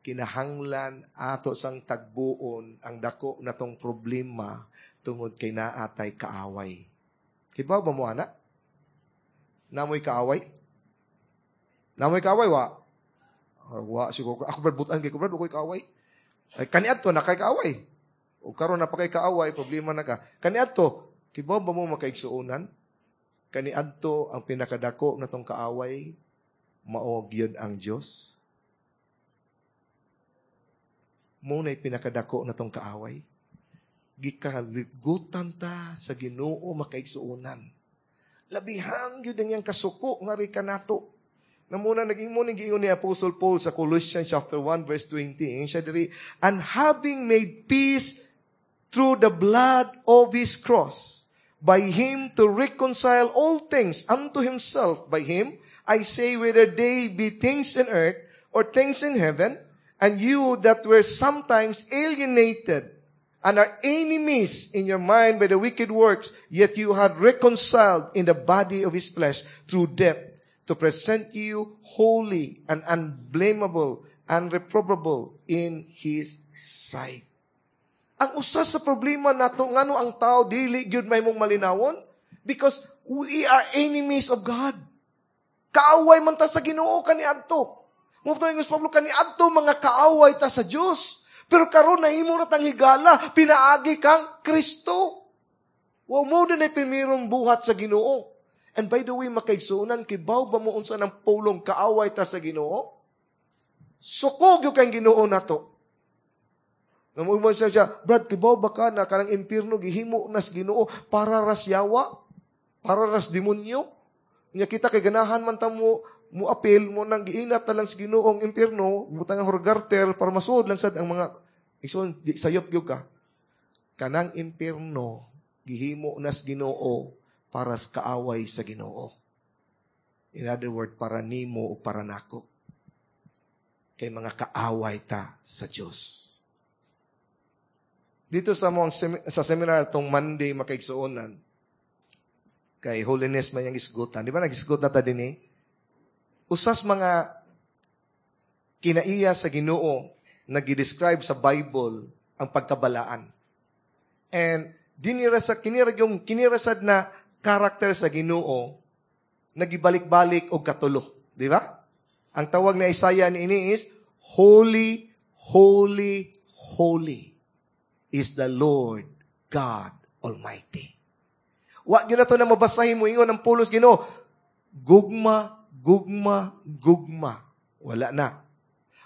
Speaker 1: kinahanglan ato sang tagbuon ang dako natong problema tungod kay naatay kaaway. Kibaw ba mo ana? Namoy kaaway? Namoy kaaway wa? Or, wa siguro. Ako brad butan kay ko brad ako'y kaaway. Ay kaniadto na kay kaaway. O karon na pa kay kaaway, problema na ka. Kaniadto, kibaw ba mo makaigsuonan? Kaniadto ang pinakadako natong kaaway mao gyud ang Dios. Mao na'y pinakadako natong kaaway. Gikaligutan ta sa Ginoo makaigsuonan. Labihan gyud ang iyang kasuko nga ri kanato. Na muna naging mo giingon ni Apostle Paul sa Colossians chapter one verse twenty. Ingon siya diri, and having made peace through the blood of his cross, by him to reconcile all things unto himself. By him, I say, whether they be things in earth or things in heaven, and you that were sometimes alienated and are enemies in your mind by the wicked works, yet you had reconciled in the body of his flesh through death, to present you holy and unblameable and reprobable in his sight. Ang usa sa problema nato ngano ang tao dili gyud may mong malinawon because we are enemies of God. Kaaway man ta sa Ginoo kaniadto. Mo to ingos Pablo kaniadto mga kaaway ta sa Dios. Pero karon nahimo na tang higala pinaagi kang Kristo. Wa mo din ay primerong buhat sa Ginoo. And by the way, makaigsuonan, kibaw ba mo unsa ng pulong kaaway ta sa Ginoo? Suko gyud kang Ginoo nato. Namuman siya siya, Brad, kibaw ba ka na kanang impierno gihimo nas Ginoo para ras yawa? Para ras demonyo? Nya kita kay ganahan man ta mo, mo apel mo nang giinat na lang sa Ginoo ang impierno, butang ang horgarter para masuod lang sad ang mga igsoon, di, sayop gyud ka. Kanang impierno gihimo nas Ginoo para sa kaaway sa Ginoo. In other words, para nimo o para nako. Kay mga kaaway ta sa Dios. Dito sa mong sa seminar tong Monday makaigsuonan, kay holiness man yung isgutan. Di ba nag-isgut na ta din eh? Usas mga kinaiya sa Ginoo na gi-describe sa Bible ang pagkabalaan. And dinira sa kinira yung kinirasad na karakter sa Ginoo nagibalik-balik og katulo, di ba? Ang tawag ni Isaiah niini is holy, holy, holy is the Lord God Almighty. Wa gyud na to na mabasahin mo ingon ang pulos Ginoo. Gugma, gugma, gugma. Wala na.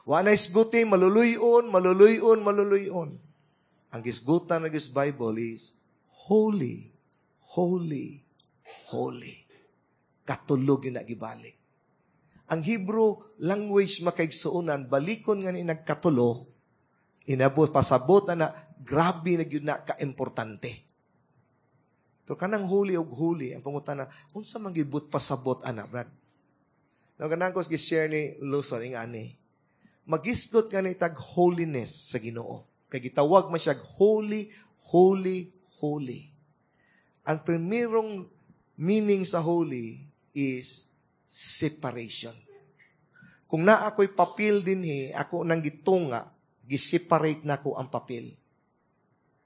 Speaker 1: Wa na isguti, maluluyon, maluluyon, maluluyon. Ang gisgutan ng Bible is holy, holy, holy. Katulog yung nagibalik. Ang Hebrew language makaigsuonan, balikon nga ni nagkatulo, inabot, pasabot na na, grabe na gyud na ka-importante. Pero kanang huli og huli, ang pangutana, unsa man gibut pasabot ana, Brad? No, kanang ko gi-share ni Luzon, ing ani, magisgot nga ni tag holiness sa Ginoo. Kay gitawag man siya holy, holy, holy. Ang primerong meaning sa holy is separation. Kung naa ako'y papel dinhi, ako nang gitunga, giseparate na ko ang papel.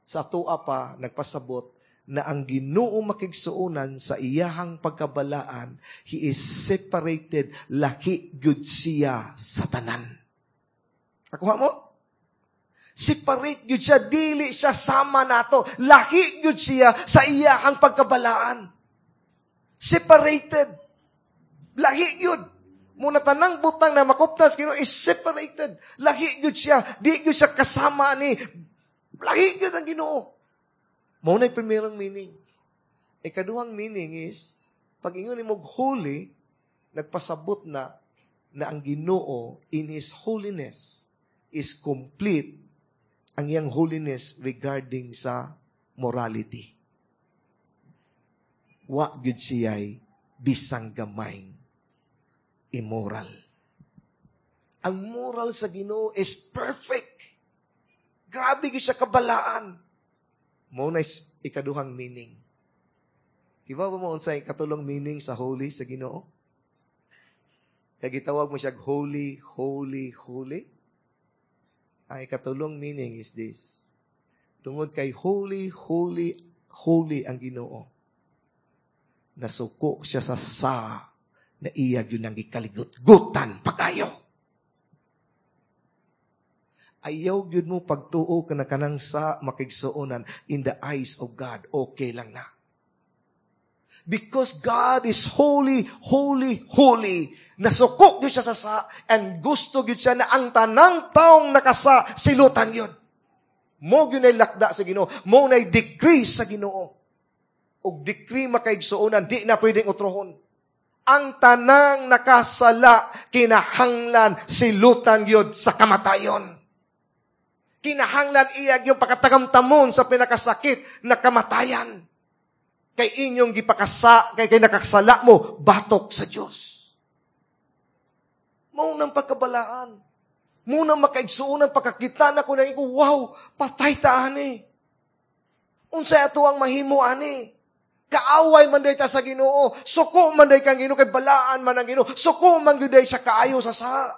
Speaker 1: Sa atoa pa, nagpasabot na ang Ginoo makigsuonan sa iyahang pagkabalaan, he is separated, laki gyud siya sa tanan. Akuha mo? Separate gyud siya, dili siya sama nato. Laki gyud siya sa iyahang pagkabalaan. Separated. Lahi gyud. Muna tanang butang na makuptas Ginoo is separated. Lahi gyud siya, di gyud siya kasama ni. Lahi gyud ang Ginoo. Mao na'y primerong meaning. Ikaduhang meaning is pag ingon nimo holy, nagpasabot na na ang Ginoo in His holiness is complete ang iyang holiness regarding sa morality. Wa gyud siya'y bisang gamayng immoral. Ang moral sa Ginoo is perfect. Grabe gyud siya kabalaan. Mao na ikaduhang meaning. Iba ba mo unsay katulong meaning sa holy sa Ginoo? Kay gitawag mo siya holy, holy, holy. Ang ikatulong meaning is this. Tungod kay holy, holy, holy ang Ginoo. Nasuko siya sa sa na iya gyud nang gikaligot-gutan pagayo. Ayaw gyud mo pagtuo ka na kanang sa makaigsuonan in the eyes of God. Okay lang na. Because God is holy, holy, holy. Nasuko gyud siya sa sa and gusto gyud siya na ang tanang taong nakasa silutan yun. Mao gyud lakda sa Ginoo, mao nay decree sa Ginoo. Og decree makaigsuonan, di na pwedeng utrohon. Ang tanang nakasala kinahanglan silutan gyud sa kamatayon. Kinahanglan iya yung pakatagamtamon sa pinakasakit na kamatayan. Kay inyong gipakasa, kay kay nakasala mo, batok sa Diyos. Mao nang pagkabalaan. Mao nang makaigsuonan, pagkakita na ko na ko, wow, patay ta ani. Unsay ato ang mahimo ani? Kaaway man day ta sa Ginoo, suko man day kang Ginoo kay balaan man ang Ginoo, suko man gyud day siya kaayo sa sa.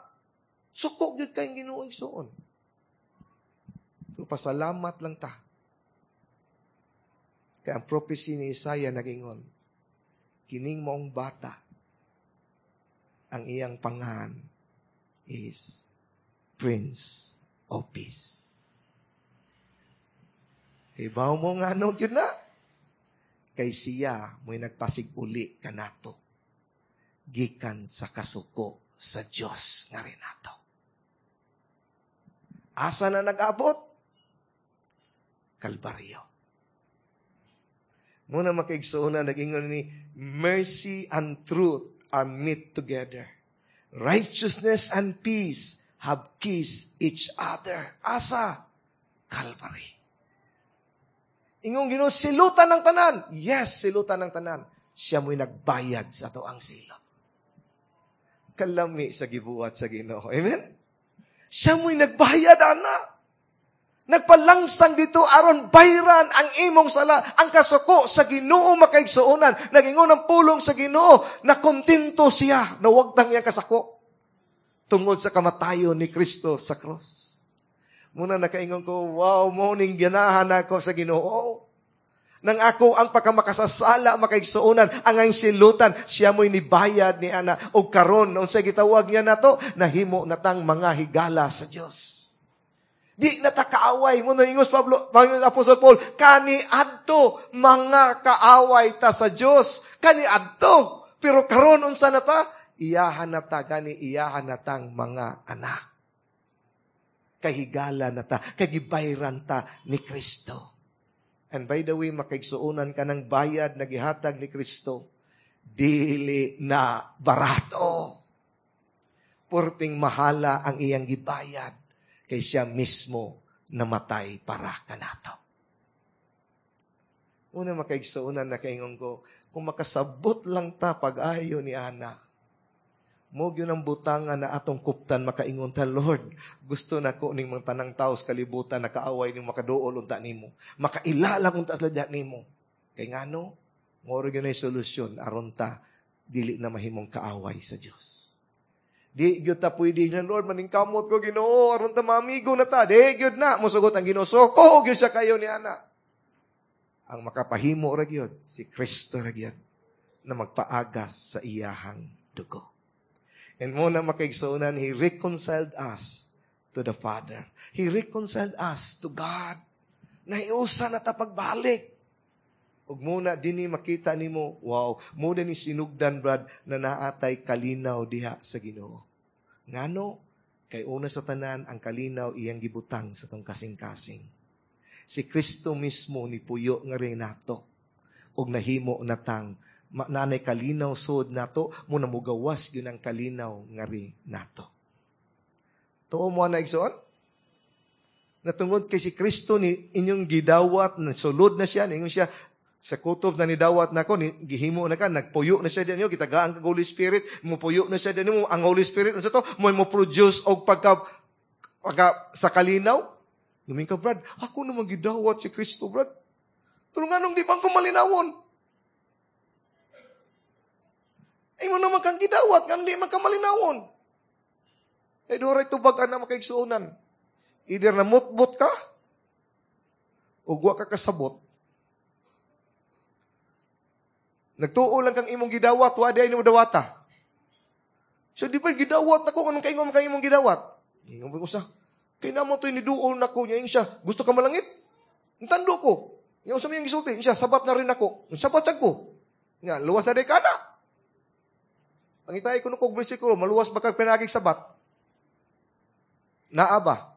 Speaker 1: Suko gyud kay Ginoo igsuon. So pasalamat lang ta. Kay ang prophecy ni Isaiah nagingon, kining maong bata, ang iyang pangan is Prince of Peace. Hibaw mo nga ano yun na. Kay siya mo'y nagpasig-uli kanato. Gikan sa kasuko sa Diyos nga rin nato. Asa na nag-abot? Kalbaryo. Mao na makaigsuonan, nag-ingon ni, mercy and truth are meet together. Righteousness and peace have kissed each other. Asa? Calvary. Ingong Ginoo, silutan ng tanan. Yes, silutan ng tanan. Siya mo'y nagbayad sa ato ang silot. Kalami sa gibuhat sa Ginoo. Amen? Siya mo'y nagbayad, ana. Nagpalangsang dito aron bayran ang imong sala, ang kasuko sa Ginoo makaigsuonan. Nagingon ang pulong sa Ginoo, na kontento siya, na wagtang iyang kasako. Tungod sa kamatayon ni Kristo sa cross. Mao na nakaingon ko, wow, mao ning ganahan ako sa Ginoo. Nang ako ang pagkamakasasala, makaigsuonan, ang ang silutan, siya mo'y nibayad ni ana. O karon, unsay gitawag niya nato, nahimo natang mga higala sa Dios. Di na ta kaaway. Mao na ingos Pablo, Panginoon Apostol Paul, kani adto mga kaaway ta sa Dios. Kani adto. Pero karon unsa na ta? Iyahan na ta gani iyahan na tang mga anak. Kahigala na ta, kagibayran ta ni Kristo. And by the way, makaigsuonan ka ng bayad na gihatag ni Kristo, dili na barato. Purting mahala ang iyang gibayad kay siya mismo namatay para kanato. Una makaigsuonan na kaingon ko, kung makasabot lang ta pag-ayo ni Ana, mo gyud ang butangan na atong kuptan makaingon ta, Lord, gusto na ko ning mga tanang tao sa kalibutan nakaaway ning makaduol unta nimo, makaila lang unta talaga nimo. Kay ngano, mao ra gyud nay solusyon aron ta dili na mahimong kaaway sa Dios. Di gyud ta pwede na, Lord, maningkamot ko Ginoo aron ta maamigo na ta. Di gyud na mosugot ang Ginoo. Suko gyud siya kayo ni ana. Ang makapahimo ra gyud si Kristo ra gyud na magpaagas sa iyahang dugo. And mao na makaigsuonan, He reconciled us to the Father. He reconciled us to God. Nahiusa na ta pagbalik. Ug mao na dinhi makita nimo, wow, mao na ni sinugdan brad na naatay kalinaw diha sa Ginoo. Ngano? Kay una sa tanan ang kalinaw iyang gibutang sa tong kasing-kasing. Si Kristo mismo ni puyo nga rin nato. Ug nahimo natang nanay kalinaw sud nato, mao na mugawas gyud ang kalinaw ngari nato. Tuo mo na igsoon? Natungod kay si Kristo ni inyong gidawat, sulod na siya, ningon siya, sa kutob na nidawat nako, ni, gihimo na ka, nagpuyo na siya dinyo, gitagaan kag Holy Spirit, mupuyo na siya dinyo, ang Holy Spirit, unsa to, mo mo produce og pagka, pagka sa kalinaw. Lumin ka, Brad, ako naman gidawat si Kristo, Brad. Pero nganong di bang kumalinawon? Ay mo naman kang gidawat, nganong di man ka malinawon? Ay, duray tubag na makaigsuonan. Either namutbot ka, o wa ka kasabot. Nagtuo lang kang imong gidawat, wa di ay nimo dawata. So di ba gidawat nako kanong kaingon kang imong gidawat? Ingon ba usa? Kay namo to'y niduol nako niya siya, gusto ka malangit? Tando ko. Nya unsa may gisulti, siya sabat na rin ako. Sabat sad ko. Nya luwas na di ka na. Ang itay ko kog bersikulo, maluwas ba kag pinagig sabat? Naa ba?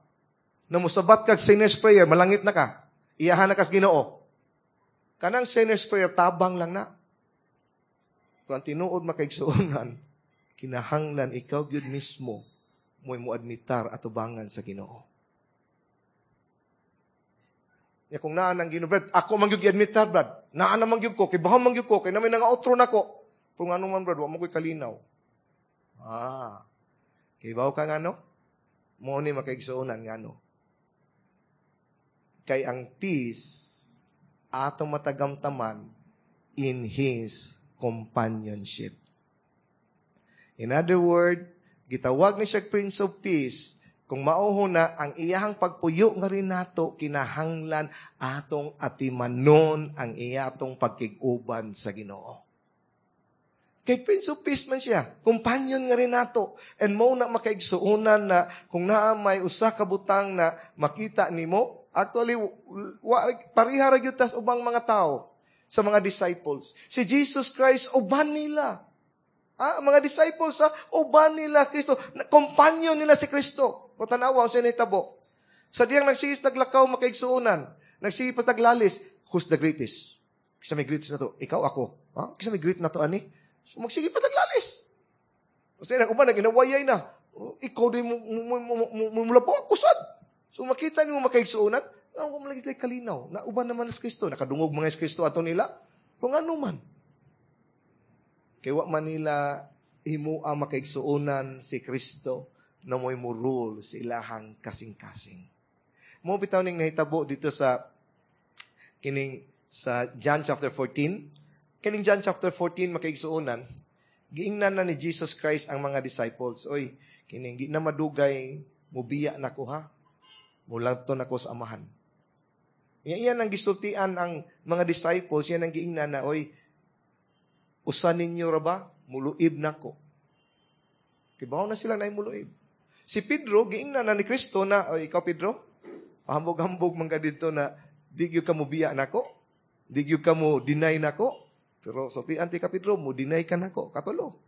Speaker 1: Na musabat kag sinner's prayer, malangit na ka. Iyahan na kas Ginoo. Kanang sinner's prayer, tabang lang na. Kung ang tinuod makaigsuonan, kinahanglan ikaw gyud mismo mo'y muadmitar atubangan sa Ginoo. Ya kung naa nang Ginoo, Brad, ako man gyud giadmitar, Brad. Naa na man gyud ko, kay baham man gyud ko, kay namin nga otro nako. Kung ano man, Brad, wa mo ko'y kalinaw. Ah. Kay bawo ka ngano? Mo ni makaigsuonan ngano. Kay ang peace atong matagamtaman in His companionship. In other word, gitawag ni siya Prince of Peace, kung mauho na ang iyahang pagpuyo nga rin nato, kinahanglan atong atimanon ang iyatong pagkig-uban sa Ginoo. Kay Prince of Peace man siya, companion nga rin nato. And mo na makaigsuonan na kung naa may usa ka butang na makita nimo, actually, wa, pareha ra gyud tas ubang mga tao sa mga disciples. Si Jesus Christ, uban nila. Ah, mga disciples, ha, uban nila Kristo. Companion nila si Kristo. O tanawa, unsa nahitabo. Sa diyang nagsigis naglakaw makaigsuonan, nagsigis pa taglalis, who's the greatest? Kisa may greatest na to? Ikaw, ako. Ha? Kisa may great na to, ani? So, magsige pa taglalis. Basta nang uban, nag-inawayay na. Oh, ikaw din mo, mo, mo, mo, mo, mula po ako sad. So makita nimo makaigsuonan, ang mo lagi kalinaw. Nauban naman si Kristo, nakadungog mga si Kristo ato nila. Kung ano man. Kay wa man nila himo ang makaigsuonan si Kristo na mo'y murul sa ilahang kasing-kasing. Mo bitaw ning nahitabo dito sa kining sa John chapter fourteen. Kining John chapter fourteen makaigsuonan, giingnan na ni Jesus Christ ang mga disciples. Oy, kining di na madugay mubiya nako ha. Mulanto nako sa amahan. Iyan ang gisultian ang mga disciples, yan ang giingnan na, oy, usa ninyo ra ba? Muluib nako. Kibaw na sila na muluib. Si Pedro, giingnan na ni Kristo na, oy, ikaw Pedro, hambog-hambog man ka dito na, di gyud ka mubiya nako, di gyud ka mo deny nako. Pero sultian ti ka Pedro, mo deny ka nako, katulo.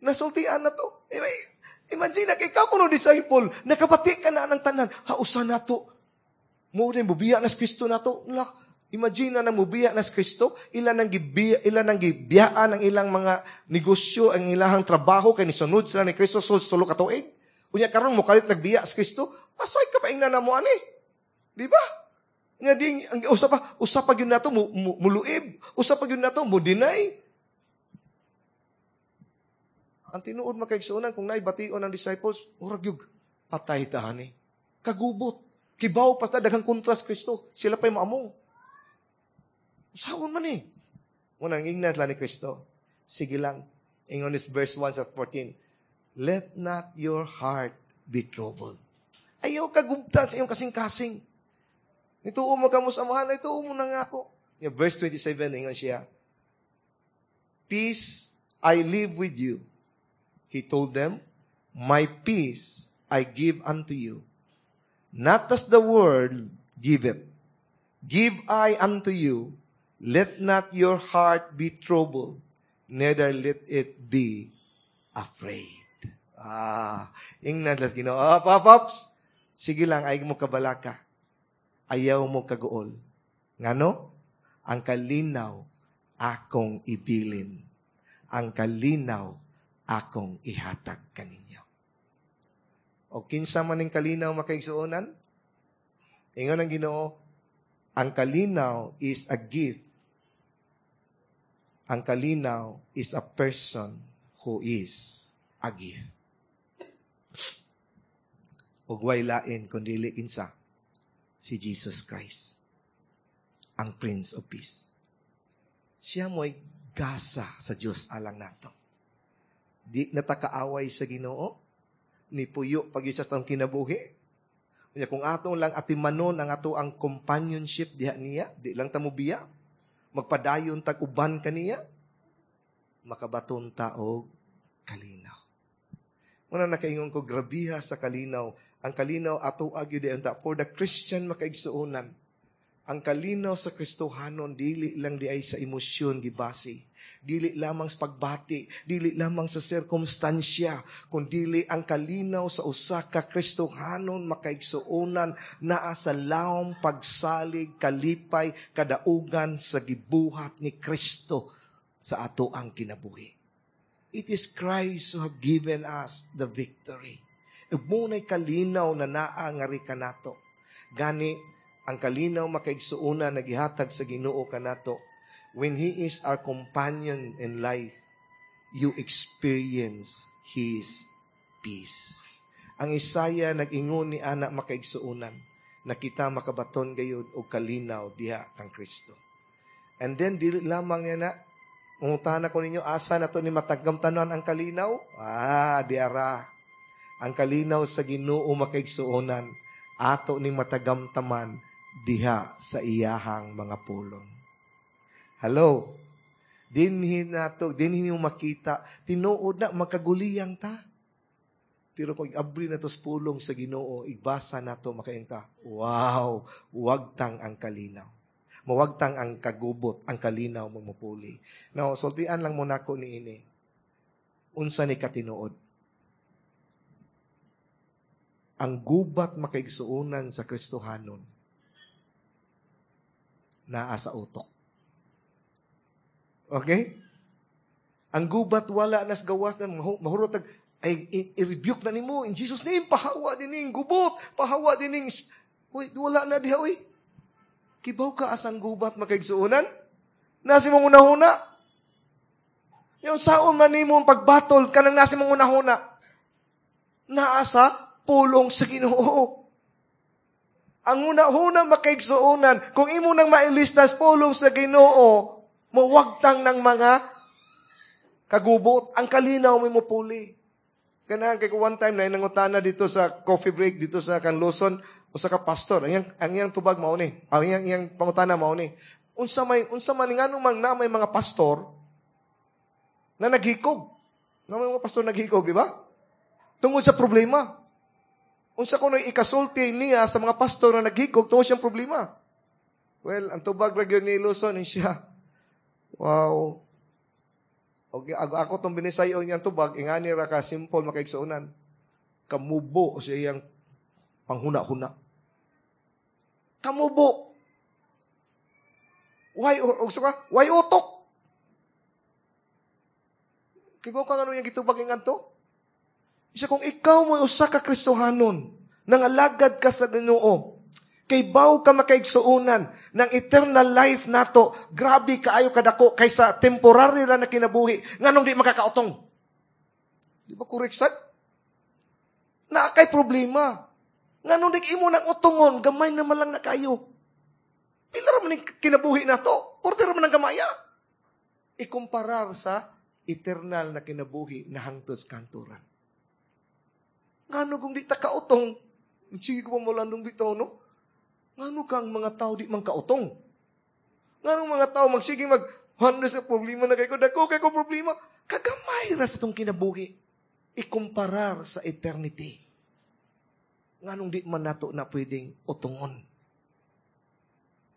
Speaker 1: Nasultian na to. Imagine na, ikaw kuno disciple, nakabati ka na ng tanan, hausa na to. Mo din, mubiya na si Kristo na to. Imagine na nang mubiya na si Kristo, ilan ang gibiya, ilan ang gibiyaan ang ilang mga negosyo, ang ilahang trabaho, kay nisunod sila ni Kristo, sulod tulo ka tuig. Unya karon mo kalit nagbiya si Kristo, asoy ka pa ingna na mo ani. Di ba? Nga ding, ang usa pa, usa pa gyud nato mu, mu, muluib, usa pa gyud nato mo deny. Ang tinuod makaigsuonan kung naibation ang disciples, murag gyud patay ta ani. Kagubot. Kibaw pa ta daghang kontra sa Kristo, sila pa'y maamong. Usaon man eh. Unang ingnan lang ni Kristo. Sige lang. Ingon is verse one sa fourteen. Let not your heart be troubled. Ayaw kagubtan sa iyong kasing-kasing. Nituo mo ka mo sa amahan, ituo mo na nga ako. Verse twenty-seven, ingon siya, Peace I live with you. He told them, My peace I give unto you. Not as the world giveth. Give I unto you. Let not your heart be troubled, neither let it be afraid. Ah, ingnan las Ginoo. Oh, pops, sige lang, ay mo kabalaka. Ayaw mo kaguol. Ngano? Ang kalinaw akong ibilin. Ang kalinaw akong ihatag kaninyo. O kinsa man ning kalinaw makaigsuonan? Ingon ang Ginoo, ang kalinaw is a gift. Ang kalinaw is a person who is a gift. Ug way lain kun dili kinsa si Jesus Christ, ang Prince of Peace. Siya mo'y gasa sa Dios alang nato. Di natakaaway sa Ginoo, ni puyo pag sa atong kinabuhi. Unya kung ato lang atimanon ang ato ang companionship diha niya, di lang ta mobiya, magpadayon tag uban kaniya, makabaton ta og kalinaw. Muna nakaingon ko, grabiha sa kalinaw. Ang kalinaw ato gyud unta for the Christian makaigsuonan. Ang kalinaw sa Kristohanon dili lang di ay sa emosyon gibase. Dili lamang sa pagbati, dili lamang sa sirkumstansya, kundili ang kalinaw sa usa ka Kristohanon makaigsuonan naa sa lawom pagsalig, kalipay, kadaugan sa gibuhat ni Kristo sa ato ang kinabuhi. It is Christ who have given us the victory. Ug muna'y kalinaw na naa ngari kanato. Gani, ang kalinaw makaigsuonan na gihatag sa Ginoo kanato when He is our companion in life, you experience His peace. Ang Isaiah nag-ingon ni ana makaigsuonan na kita makabaton gayud og kalinaw diha kang Kristo. And then dili lamang niya na mangutana ko ninyo asa na to ni matagamtanan ang kalinaw? Ah, diara. Ang kalinaw sa Ginoo makaigsuonan ato ning matagamtaman diha sa iyahang mga pulong. Hello? Dinhi nato, dinhi mo makita, tinuod na magkaguliyang ta. Pero kung abri na to sa pulong sa Ginoo, igbasa nato makaingon ta. Wow, wagtang ang kalinaw. Mawagtang ang kagubot, ang kalinaw mo mupuli. Now, sultian lang mo nako ni ini. Unsa ni katinuod? Ang gubat makaigsuonan sa Kristohanon naa sa utok. Okay? Ang gubat wala nas gawas na mahurot ay i-rebuke na nimo in Jesus name pahawa dining gubot, pahawa dining Uy, wala na diha uy. Kibaw ka asang gubat makaigsuonan? Nasi mong unahuna. Yung saon man nimo ang pagbatol kanang nasi mong unahuna. Naa sa pulong sa Ginoo. Ang una-una makaigsuonan, kung imo nang mailistas pulong sa Ginoo, mawagtang ng mga kagubot, ang kalinaw mo mupuli. Ganahan kay one time na nangutana dito sa coffee break dito sa Kanluson, usa ka pastor, ang iyang, ang iyang tubag mao ni, ang iyang, iyang pangutana mao ni. Unsa may unsa man nganong mang na may mga pastor na naghikog. Na may mga pastor naghikog, di ba? Tungod sa problema. Unsa kuno ikasulti niya sa mga pastor na naghikog tungod siyang problema. Well, ang tubag ra gyud ni Luzon ni siya. Wow. Okay, ako, ako tong binisayo niyang tubag, ingani ra ka simple makaigsuonan. Kamubo sa iyang panghuna-huna. Kamubo. Why, o, ka? Why utok? Kibaw ka nga yung gitubag ingadto? Isa kung ikaw mo usa ka Kristohanon, nangalagad ka sa Ginoo, kay baw ka makaigsuonan ng eternal life nato, grabe kaayo kadako kaysa temporary ra na kinabuhi, nganong di makakautong. Di ba correct sad? Na kay problema. Nganong di imo nang utungon, gamay naman lang na kayo. Pila ra man kinabuhi nato? Purte ra man ang gamaya. Ikumparar sa eternal na kinabuhi na hangtod sa kanturan. Ngano kung di ta kautong, sige ko pa mo bitaw, no? Ngano kang mga tao di man kautong? Ngano mga tao magsige mag handa sa problema na kay ko, dako kay ko problema. Kagamay ra sa tong kinabuhi. Ikumparar sa eternity. Nganong di man nato na pwedeng utungon.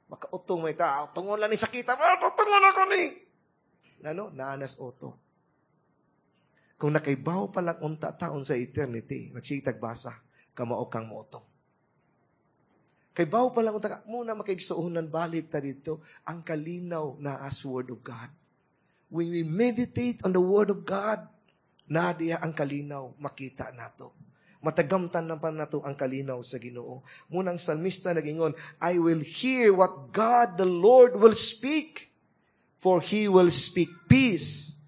Speaker 1: Makautong may ta, utungon lang ni sakita, ah, utungon ako ni. Ngano? Naanas utok. Kung nakaibaw pa lang unta taon sa eternity, nagsitag basa, kamao kang moutong. Kay baw pa lang unta, muna makaigsuonan balik ta dito, ang kalinaw na as Word of God. When we meditate on the Word of God, na diya ang kalinaw, makita nato. Matagamtan na pa nato ang kalinaw sa Ginoo. Munang salmista nagingon, I will hear what God the Lord will speak, for He will speak peace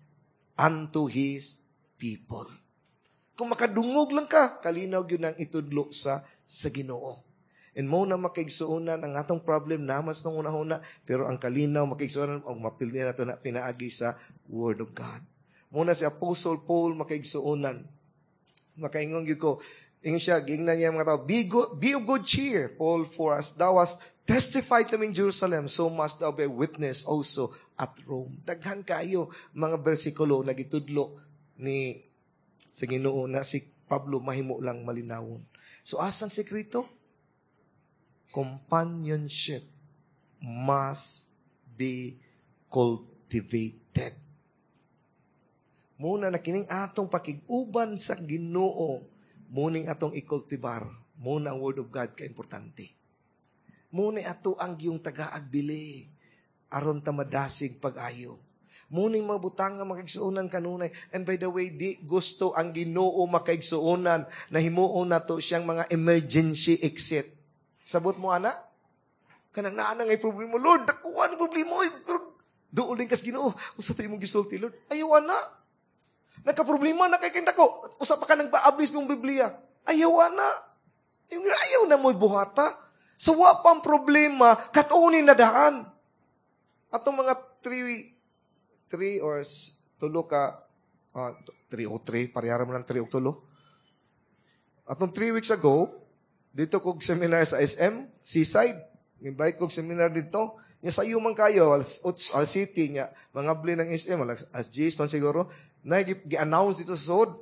Speaker 1: unto His people. Kung makadungog lang ka, kalinaw yun ang itudlo sa, sa Ginoo. And mo na makaigsuonan ang atong problem namas nung una-una, pero ang kalinaw makaigsuonan ang mapildi nato na pinaagi sa Word of God. Muna si Apostle Paul makaigsuonan. Makaingon gyud ko, ingon siya, giingnan niya mga tao, be, good, be of good cheer, Paul, for as thou hast testified to me in Jerusalem, so must thou be a witness also at Rome. Daghan kayo mga bersikulo na gitudlo ni Sa Ginoo na si Pablo mahimo lang malinawon. So asang sekreto? Companionship must be cultivated. Muna na kining atong pakig-uban sa Ginoo, muning atong ikultibar. Muna ang Word of God ka importante. Muna ato ang giyong tagaagbili aron ta madasig pag-ayo. Muning mabutang nga makaigsuonan kanunay. And by the way, di gusto ang Ginoo makaigsuonan na himuon nato siyang mga emergency exit. Sabot mo, ana? Kanang naa na ngay problema, Lord, dakuan problema. Oy, duol din kas Ginoo. Usa to imong gisulti, Lord. Ayaw, ana. Nagka-problema na kay ko. Usa pa ka nang baablis mong Biblia. Ayaw, ana. Ayaw na mo'y buhata. Sa wa pang problema, katunin na daan. Atong mga three, three or tulo ka, uh, three o three, parehara mo lang three o tulo. Atong three weeks ago, dito kog seminar sa S M, Seaside. Invite kog seminar dito. Nya sayo man kayo, alas otso, alas city nya, mga bli ng S M, alas, alas diyes man siguro, na gi-announce dito sa sud.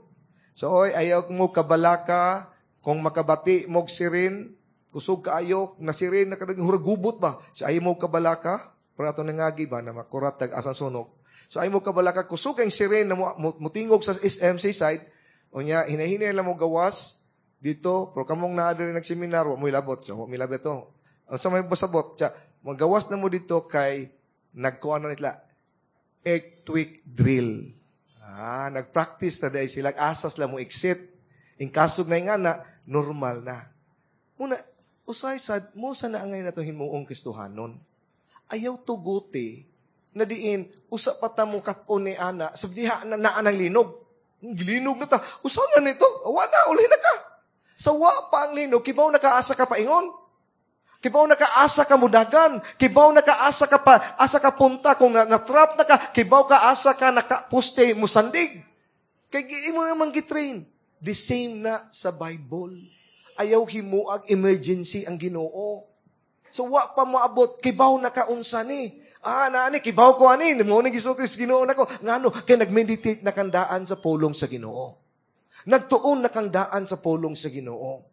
Speaker 1: So, oy, ayaw mo kabalaka, kung makabati mog sirin, kusog kaayo, na sirin, nakadaging huragubot ba? So, ayaw mo kabalaka, pero ato nangagi ba, na makurat tag asang sunog. So, ayaw mo kabalaka, kusog ang sirin na mutingog sa S M Seaside, o nya, hinahinay lang mo gawas, dito, pero kamong naa diri nagseminar, wa mo ilabot. So, wa mo ilabot to. Ang sa may basabot, siya, magawas na mo dito kay nagkuha na nila, earthquake drill. Ah, nagpractice na dahil sila, asas lang mo exit. In kasog na nga na, normal na. Muna, usay sad, mo sa naangay na itong himuong Kristohanon. Ayaw tuguti, na diin, usa pa ta mo kat-on ni ana, sa diha na naa ng linog. Gilinog na ta, usa nga nito, wala, uli na ka. Sa wa pa ang linog, kibaw nakaasa ka paingon. Kibaw nakaasa ka mudagan. Kibaw nakaasa ka pa, asa ka punta. Kung na, na-trap na ka, kibaw ka asa ka nakapuste musandig. Kay imo naman gitrain. The same na sa Bible. Ayaw himuag emergency ang Ginoo. So wa pa moabot, kibaw nakaunsa ni. Ah, naani, kibaw ko ani. Mo ni gisulti sa Ginoo nako. Ngano kay nagmeditate na kandaan sa pulong sa Ginoo. Nagtuon na kandaan sa pulong sa Ginoo.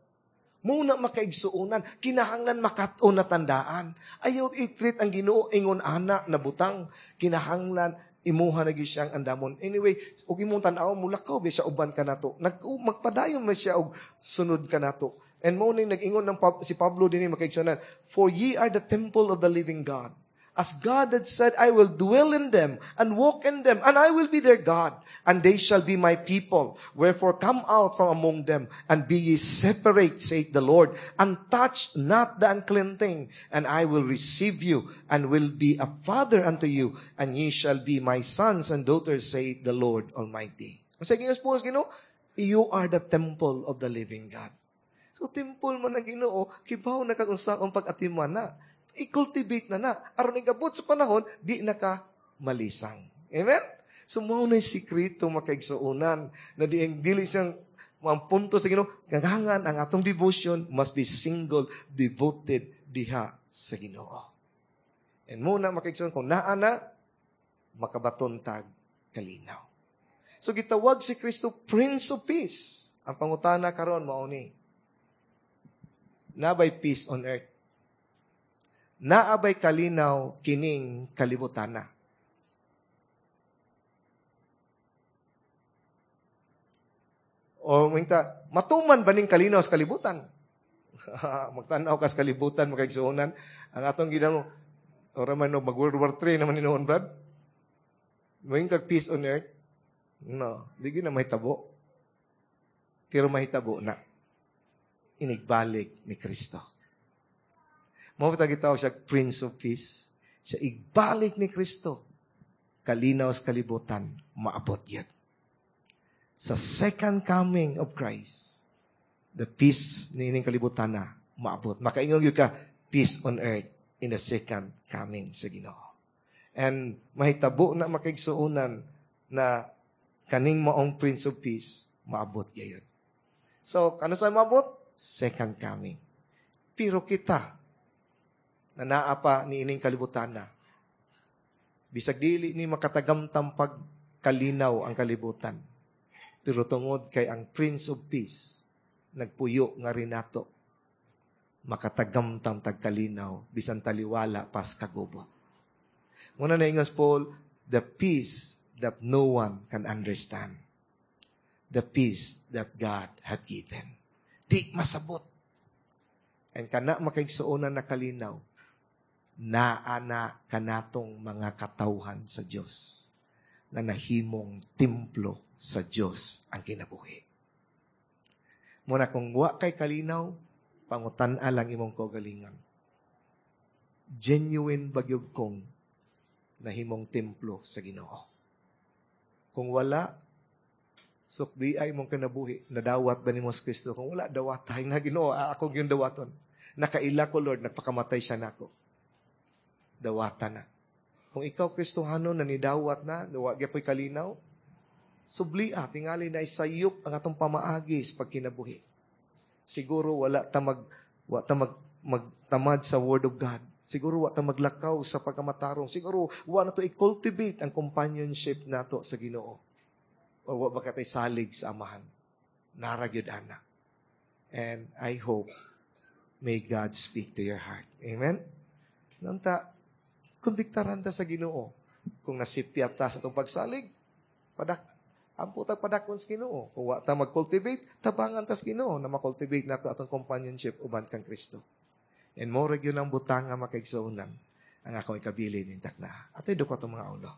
Speaker 1: Muna makaigsuonan, kinahanglan makat-on na tandaan. Ayaw i-treat ang Ginoo ingon ana na butang. Kinahanglan imuha na gyud siyang andamon. Anyway, og imong tan-aw mulakaw ba siya uban ka nato. Nag magpadayon man siya og sunod ka nato. And mo ning nag-ingon ng si Pablo dinhi makaigsuonan, for ye are the temple of the living God. As God had said, I will dwell in them and walk in them, and I will be their God, and they shall be my people. Wherefore come out from among them, and be ye separate, saith the Lord, and touch not the unclean thing, and I will receive you, and will be a father unto you, and ye shall be my sons and daughters, saith the Lord Almighty. Sige, Ginoo, you are the temple of the living God. So, temple mo ng Ginoo, kibaw na kag unsa ang pag-atiman na. I-cultivate na na. Aron igabot sa panahon, di na ka malisang. Amen? So, mao na sikreto makaigsuonan na di ang dili siyang ang punto sa Ginoo, kailangan ang atong devotion must be single, devoted diha sa Ginoo. And muna makaigsuonan, kung naa na, makabaton tag kalinaw. So, gitawag si Kristo Prince of Peace. Ang pangutana karon mao ni, nabay peace on earth? Naabay kalinaw kining kalibutana? O minta, matuman ba ning kalinaw sa kalibutan? Magtan-aw ka sa kalibutan, makaigsuonan. Ang atong ginamo, ora man og mag World War Three naman hinuon, Brad. Moingon kag peace on earth? No, di gyud na mahitabo. Pero mahitabo na. Inigbalik ni Kristo. Mao ba gitawag siya Prince of Peace? Siya igbalik ni Kristo. Kalinaw sa kalibutan, maabot yan. Sa second coming of Christ, the peace ni ining kalibutan na maabot. Makaingon gyud ka, peace on earth in the second coming sa Ginoo. And mahitabo na makaigsuonan na kaning maong Prince of Peace, maabot gayon. So, kano sa maabot? Second coming. Pero kita, na naa pa ni ining kalibutan na, bisag dili ni makatagamtam pag kalinaw ang kalibutan, Pero tungod kay ang Prince of Peace nagpuyo ngari nato, makatagamtam tag kalinaw bisan taliwala pas kagubot. Muna na ingon Paul, the peace that no one can understand. The peace that God had given. Di masabot. And kana, makaigsuonan, na kalinaw, naa na kanatong mga katawhan sa Dios na nahimong templo sa Dios ang kinabuhi. Muna kung wa kay kalinaw, pangutan-a lang imong kaugalingon. Genuine ba gyud kong nahimong templo sa Ginoo? Kung wala, sukbi ay imong kinabuhi. Nadawat ba nimo si Kristo? Kung wala, dawatay na Ginoo. Ako gyud dawaton. Nakaila ko, Lord, nagpakamatay siya nako. Dawata na. Kung ikaw, Kristohano, na nidawat na, wa gyapoy kalinaw, sublia, tingali na isayop ang atong pamaagi sa pagkinabuhi. Siguro wala ta mag wa ta mag magtamad sa Word of God. Siguro wa ta maglakaw sa pagkamatarong. Siguro wa na to i-cultivate ang companionship nato sa Ginoo. Or wa ba katay salig sa Amahan. Nara gyud ana. And I hope may God speak to your heart. Amen? Nanta, kondiktaran ta sa Ginoo. Kung nasipyat ta sa atong pagsalig, padak ampo ta padakon sa Ginoo. Kung wa ta mag-cultivate, tabangan ta sa Ginoo na ma-cultivate nato atong companionship uban kang Kristo. And mo gyud ang butang nga makaigsuonan ang akong ikabili ning takna. Ato'y duko atong mga ulo.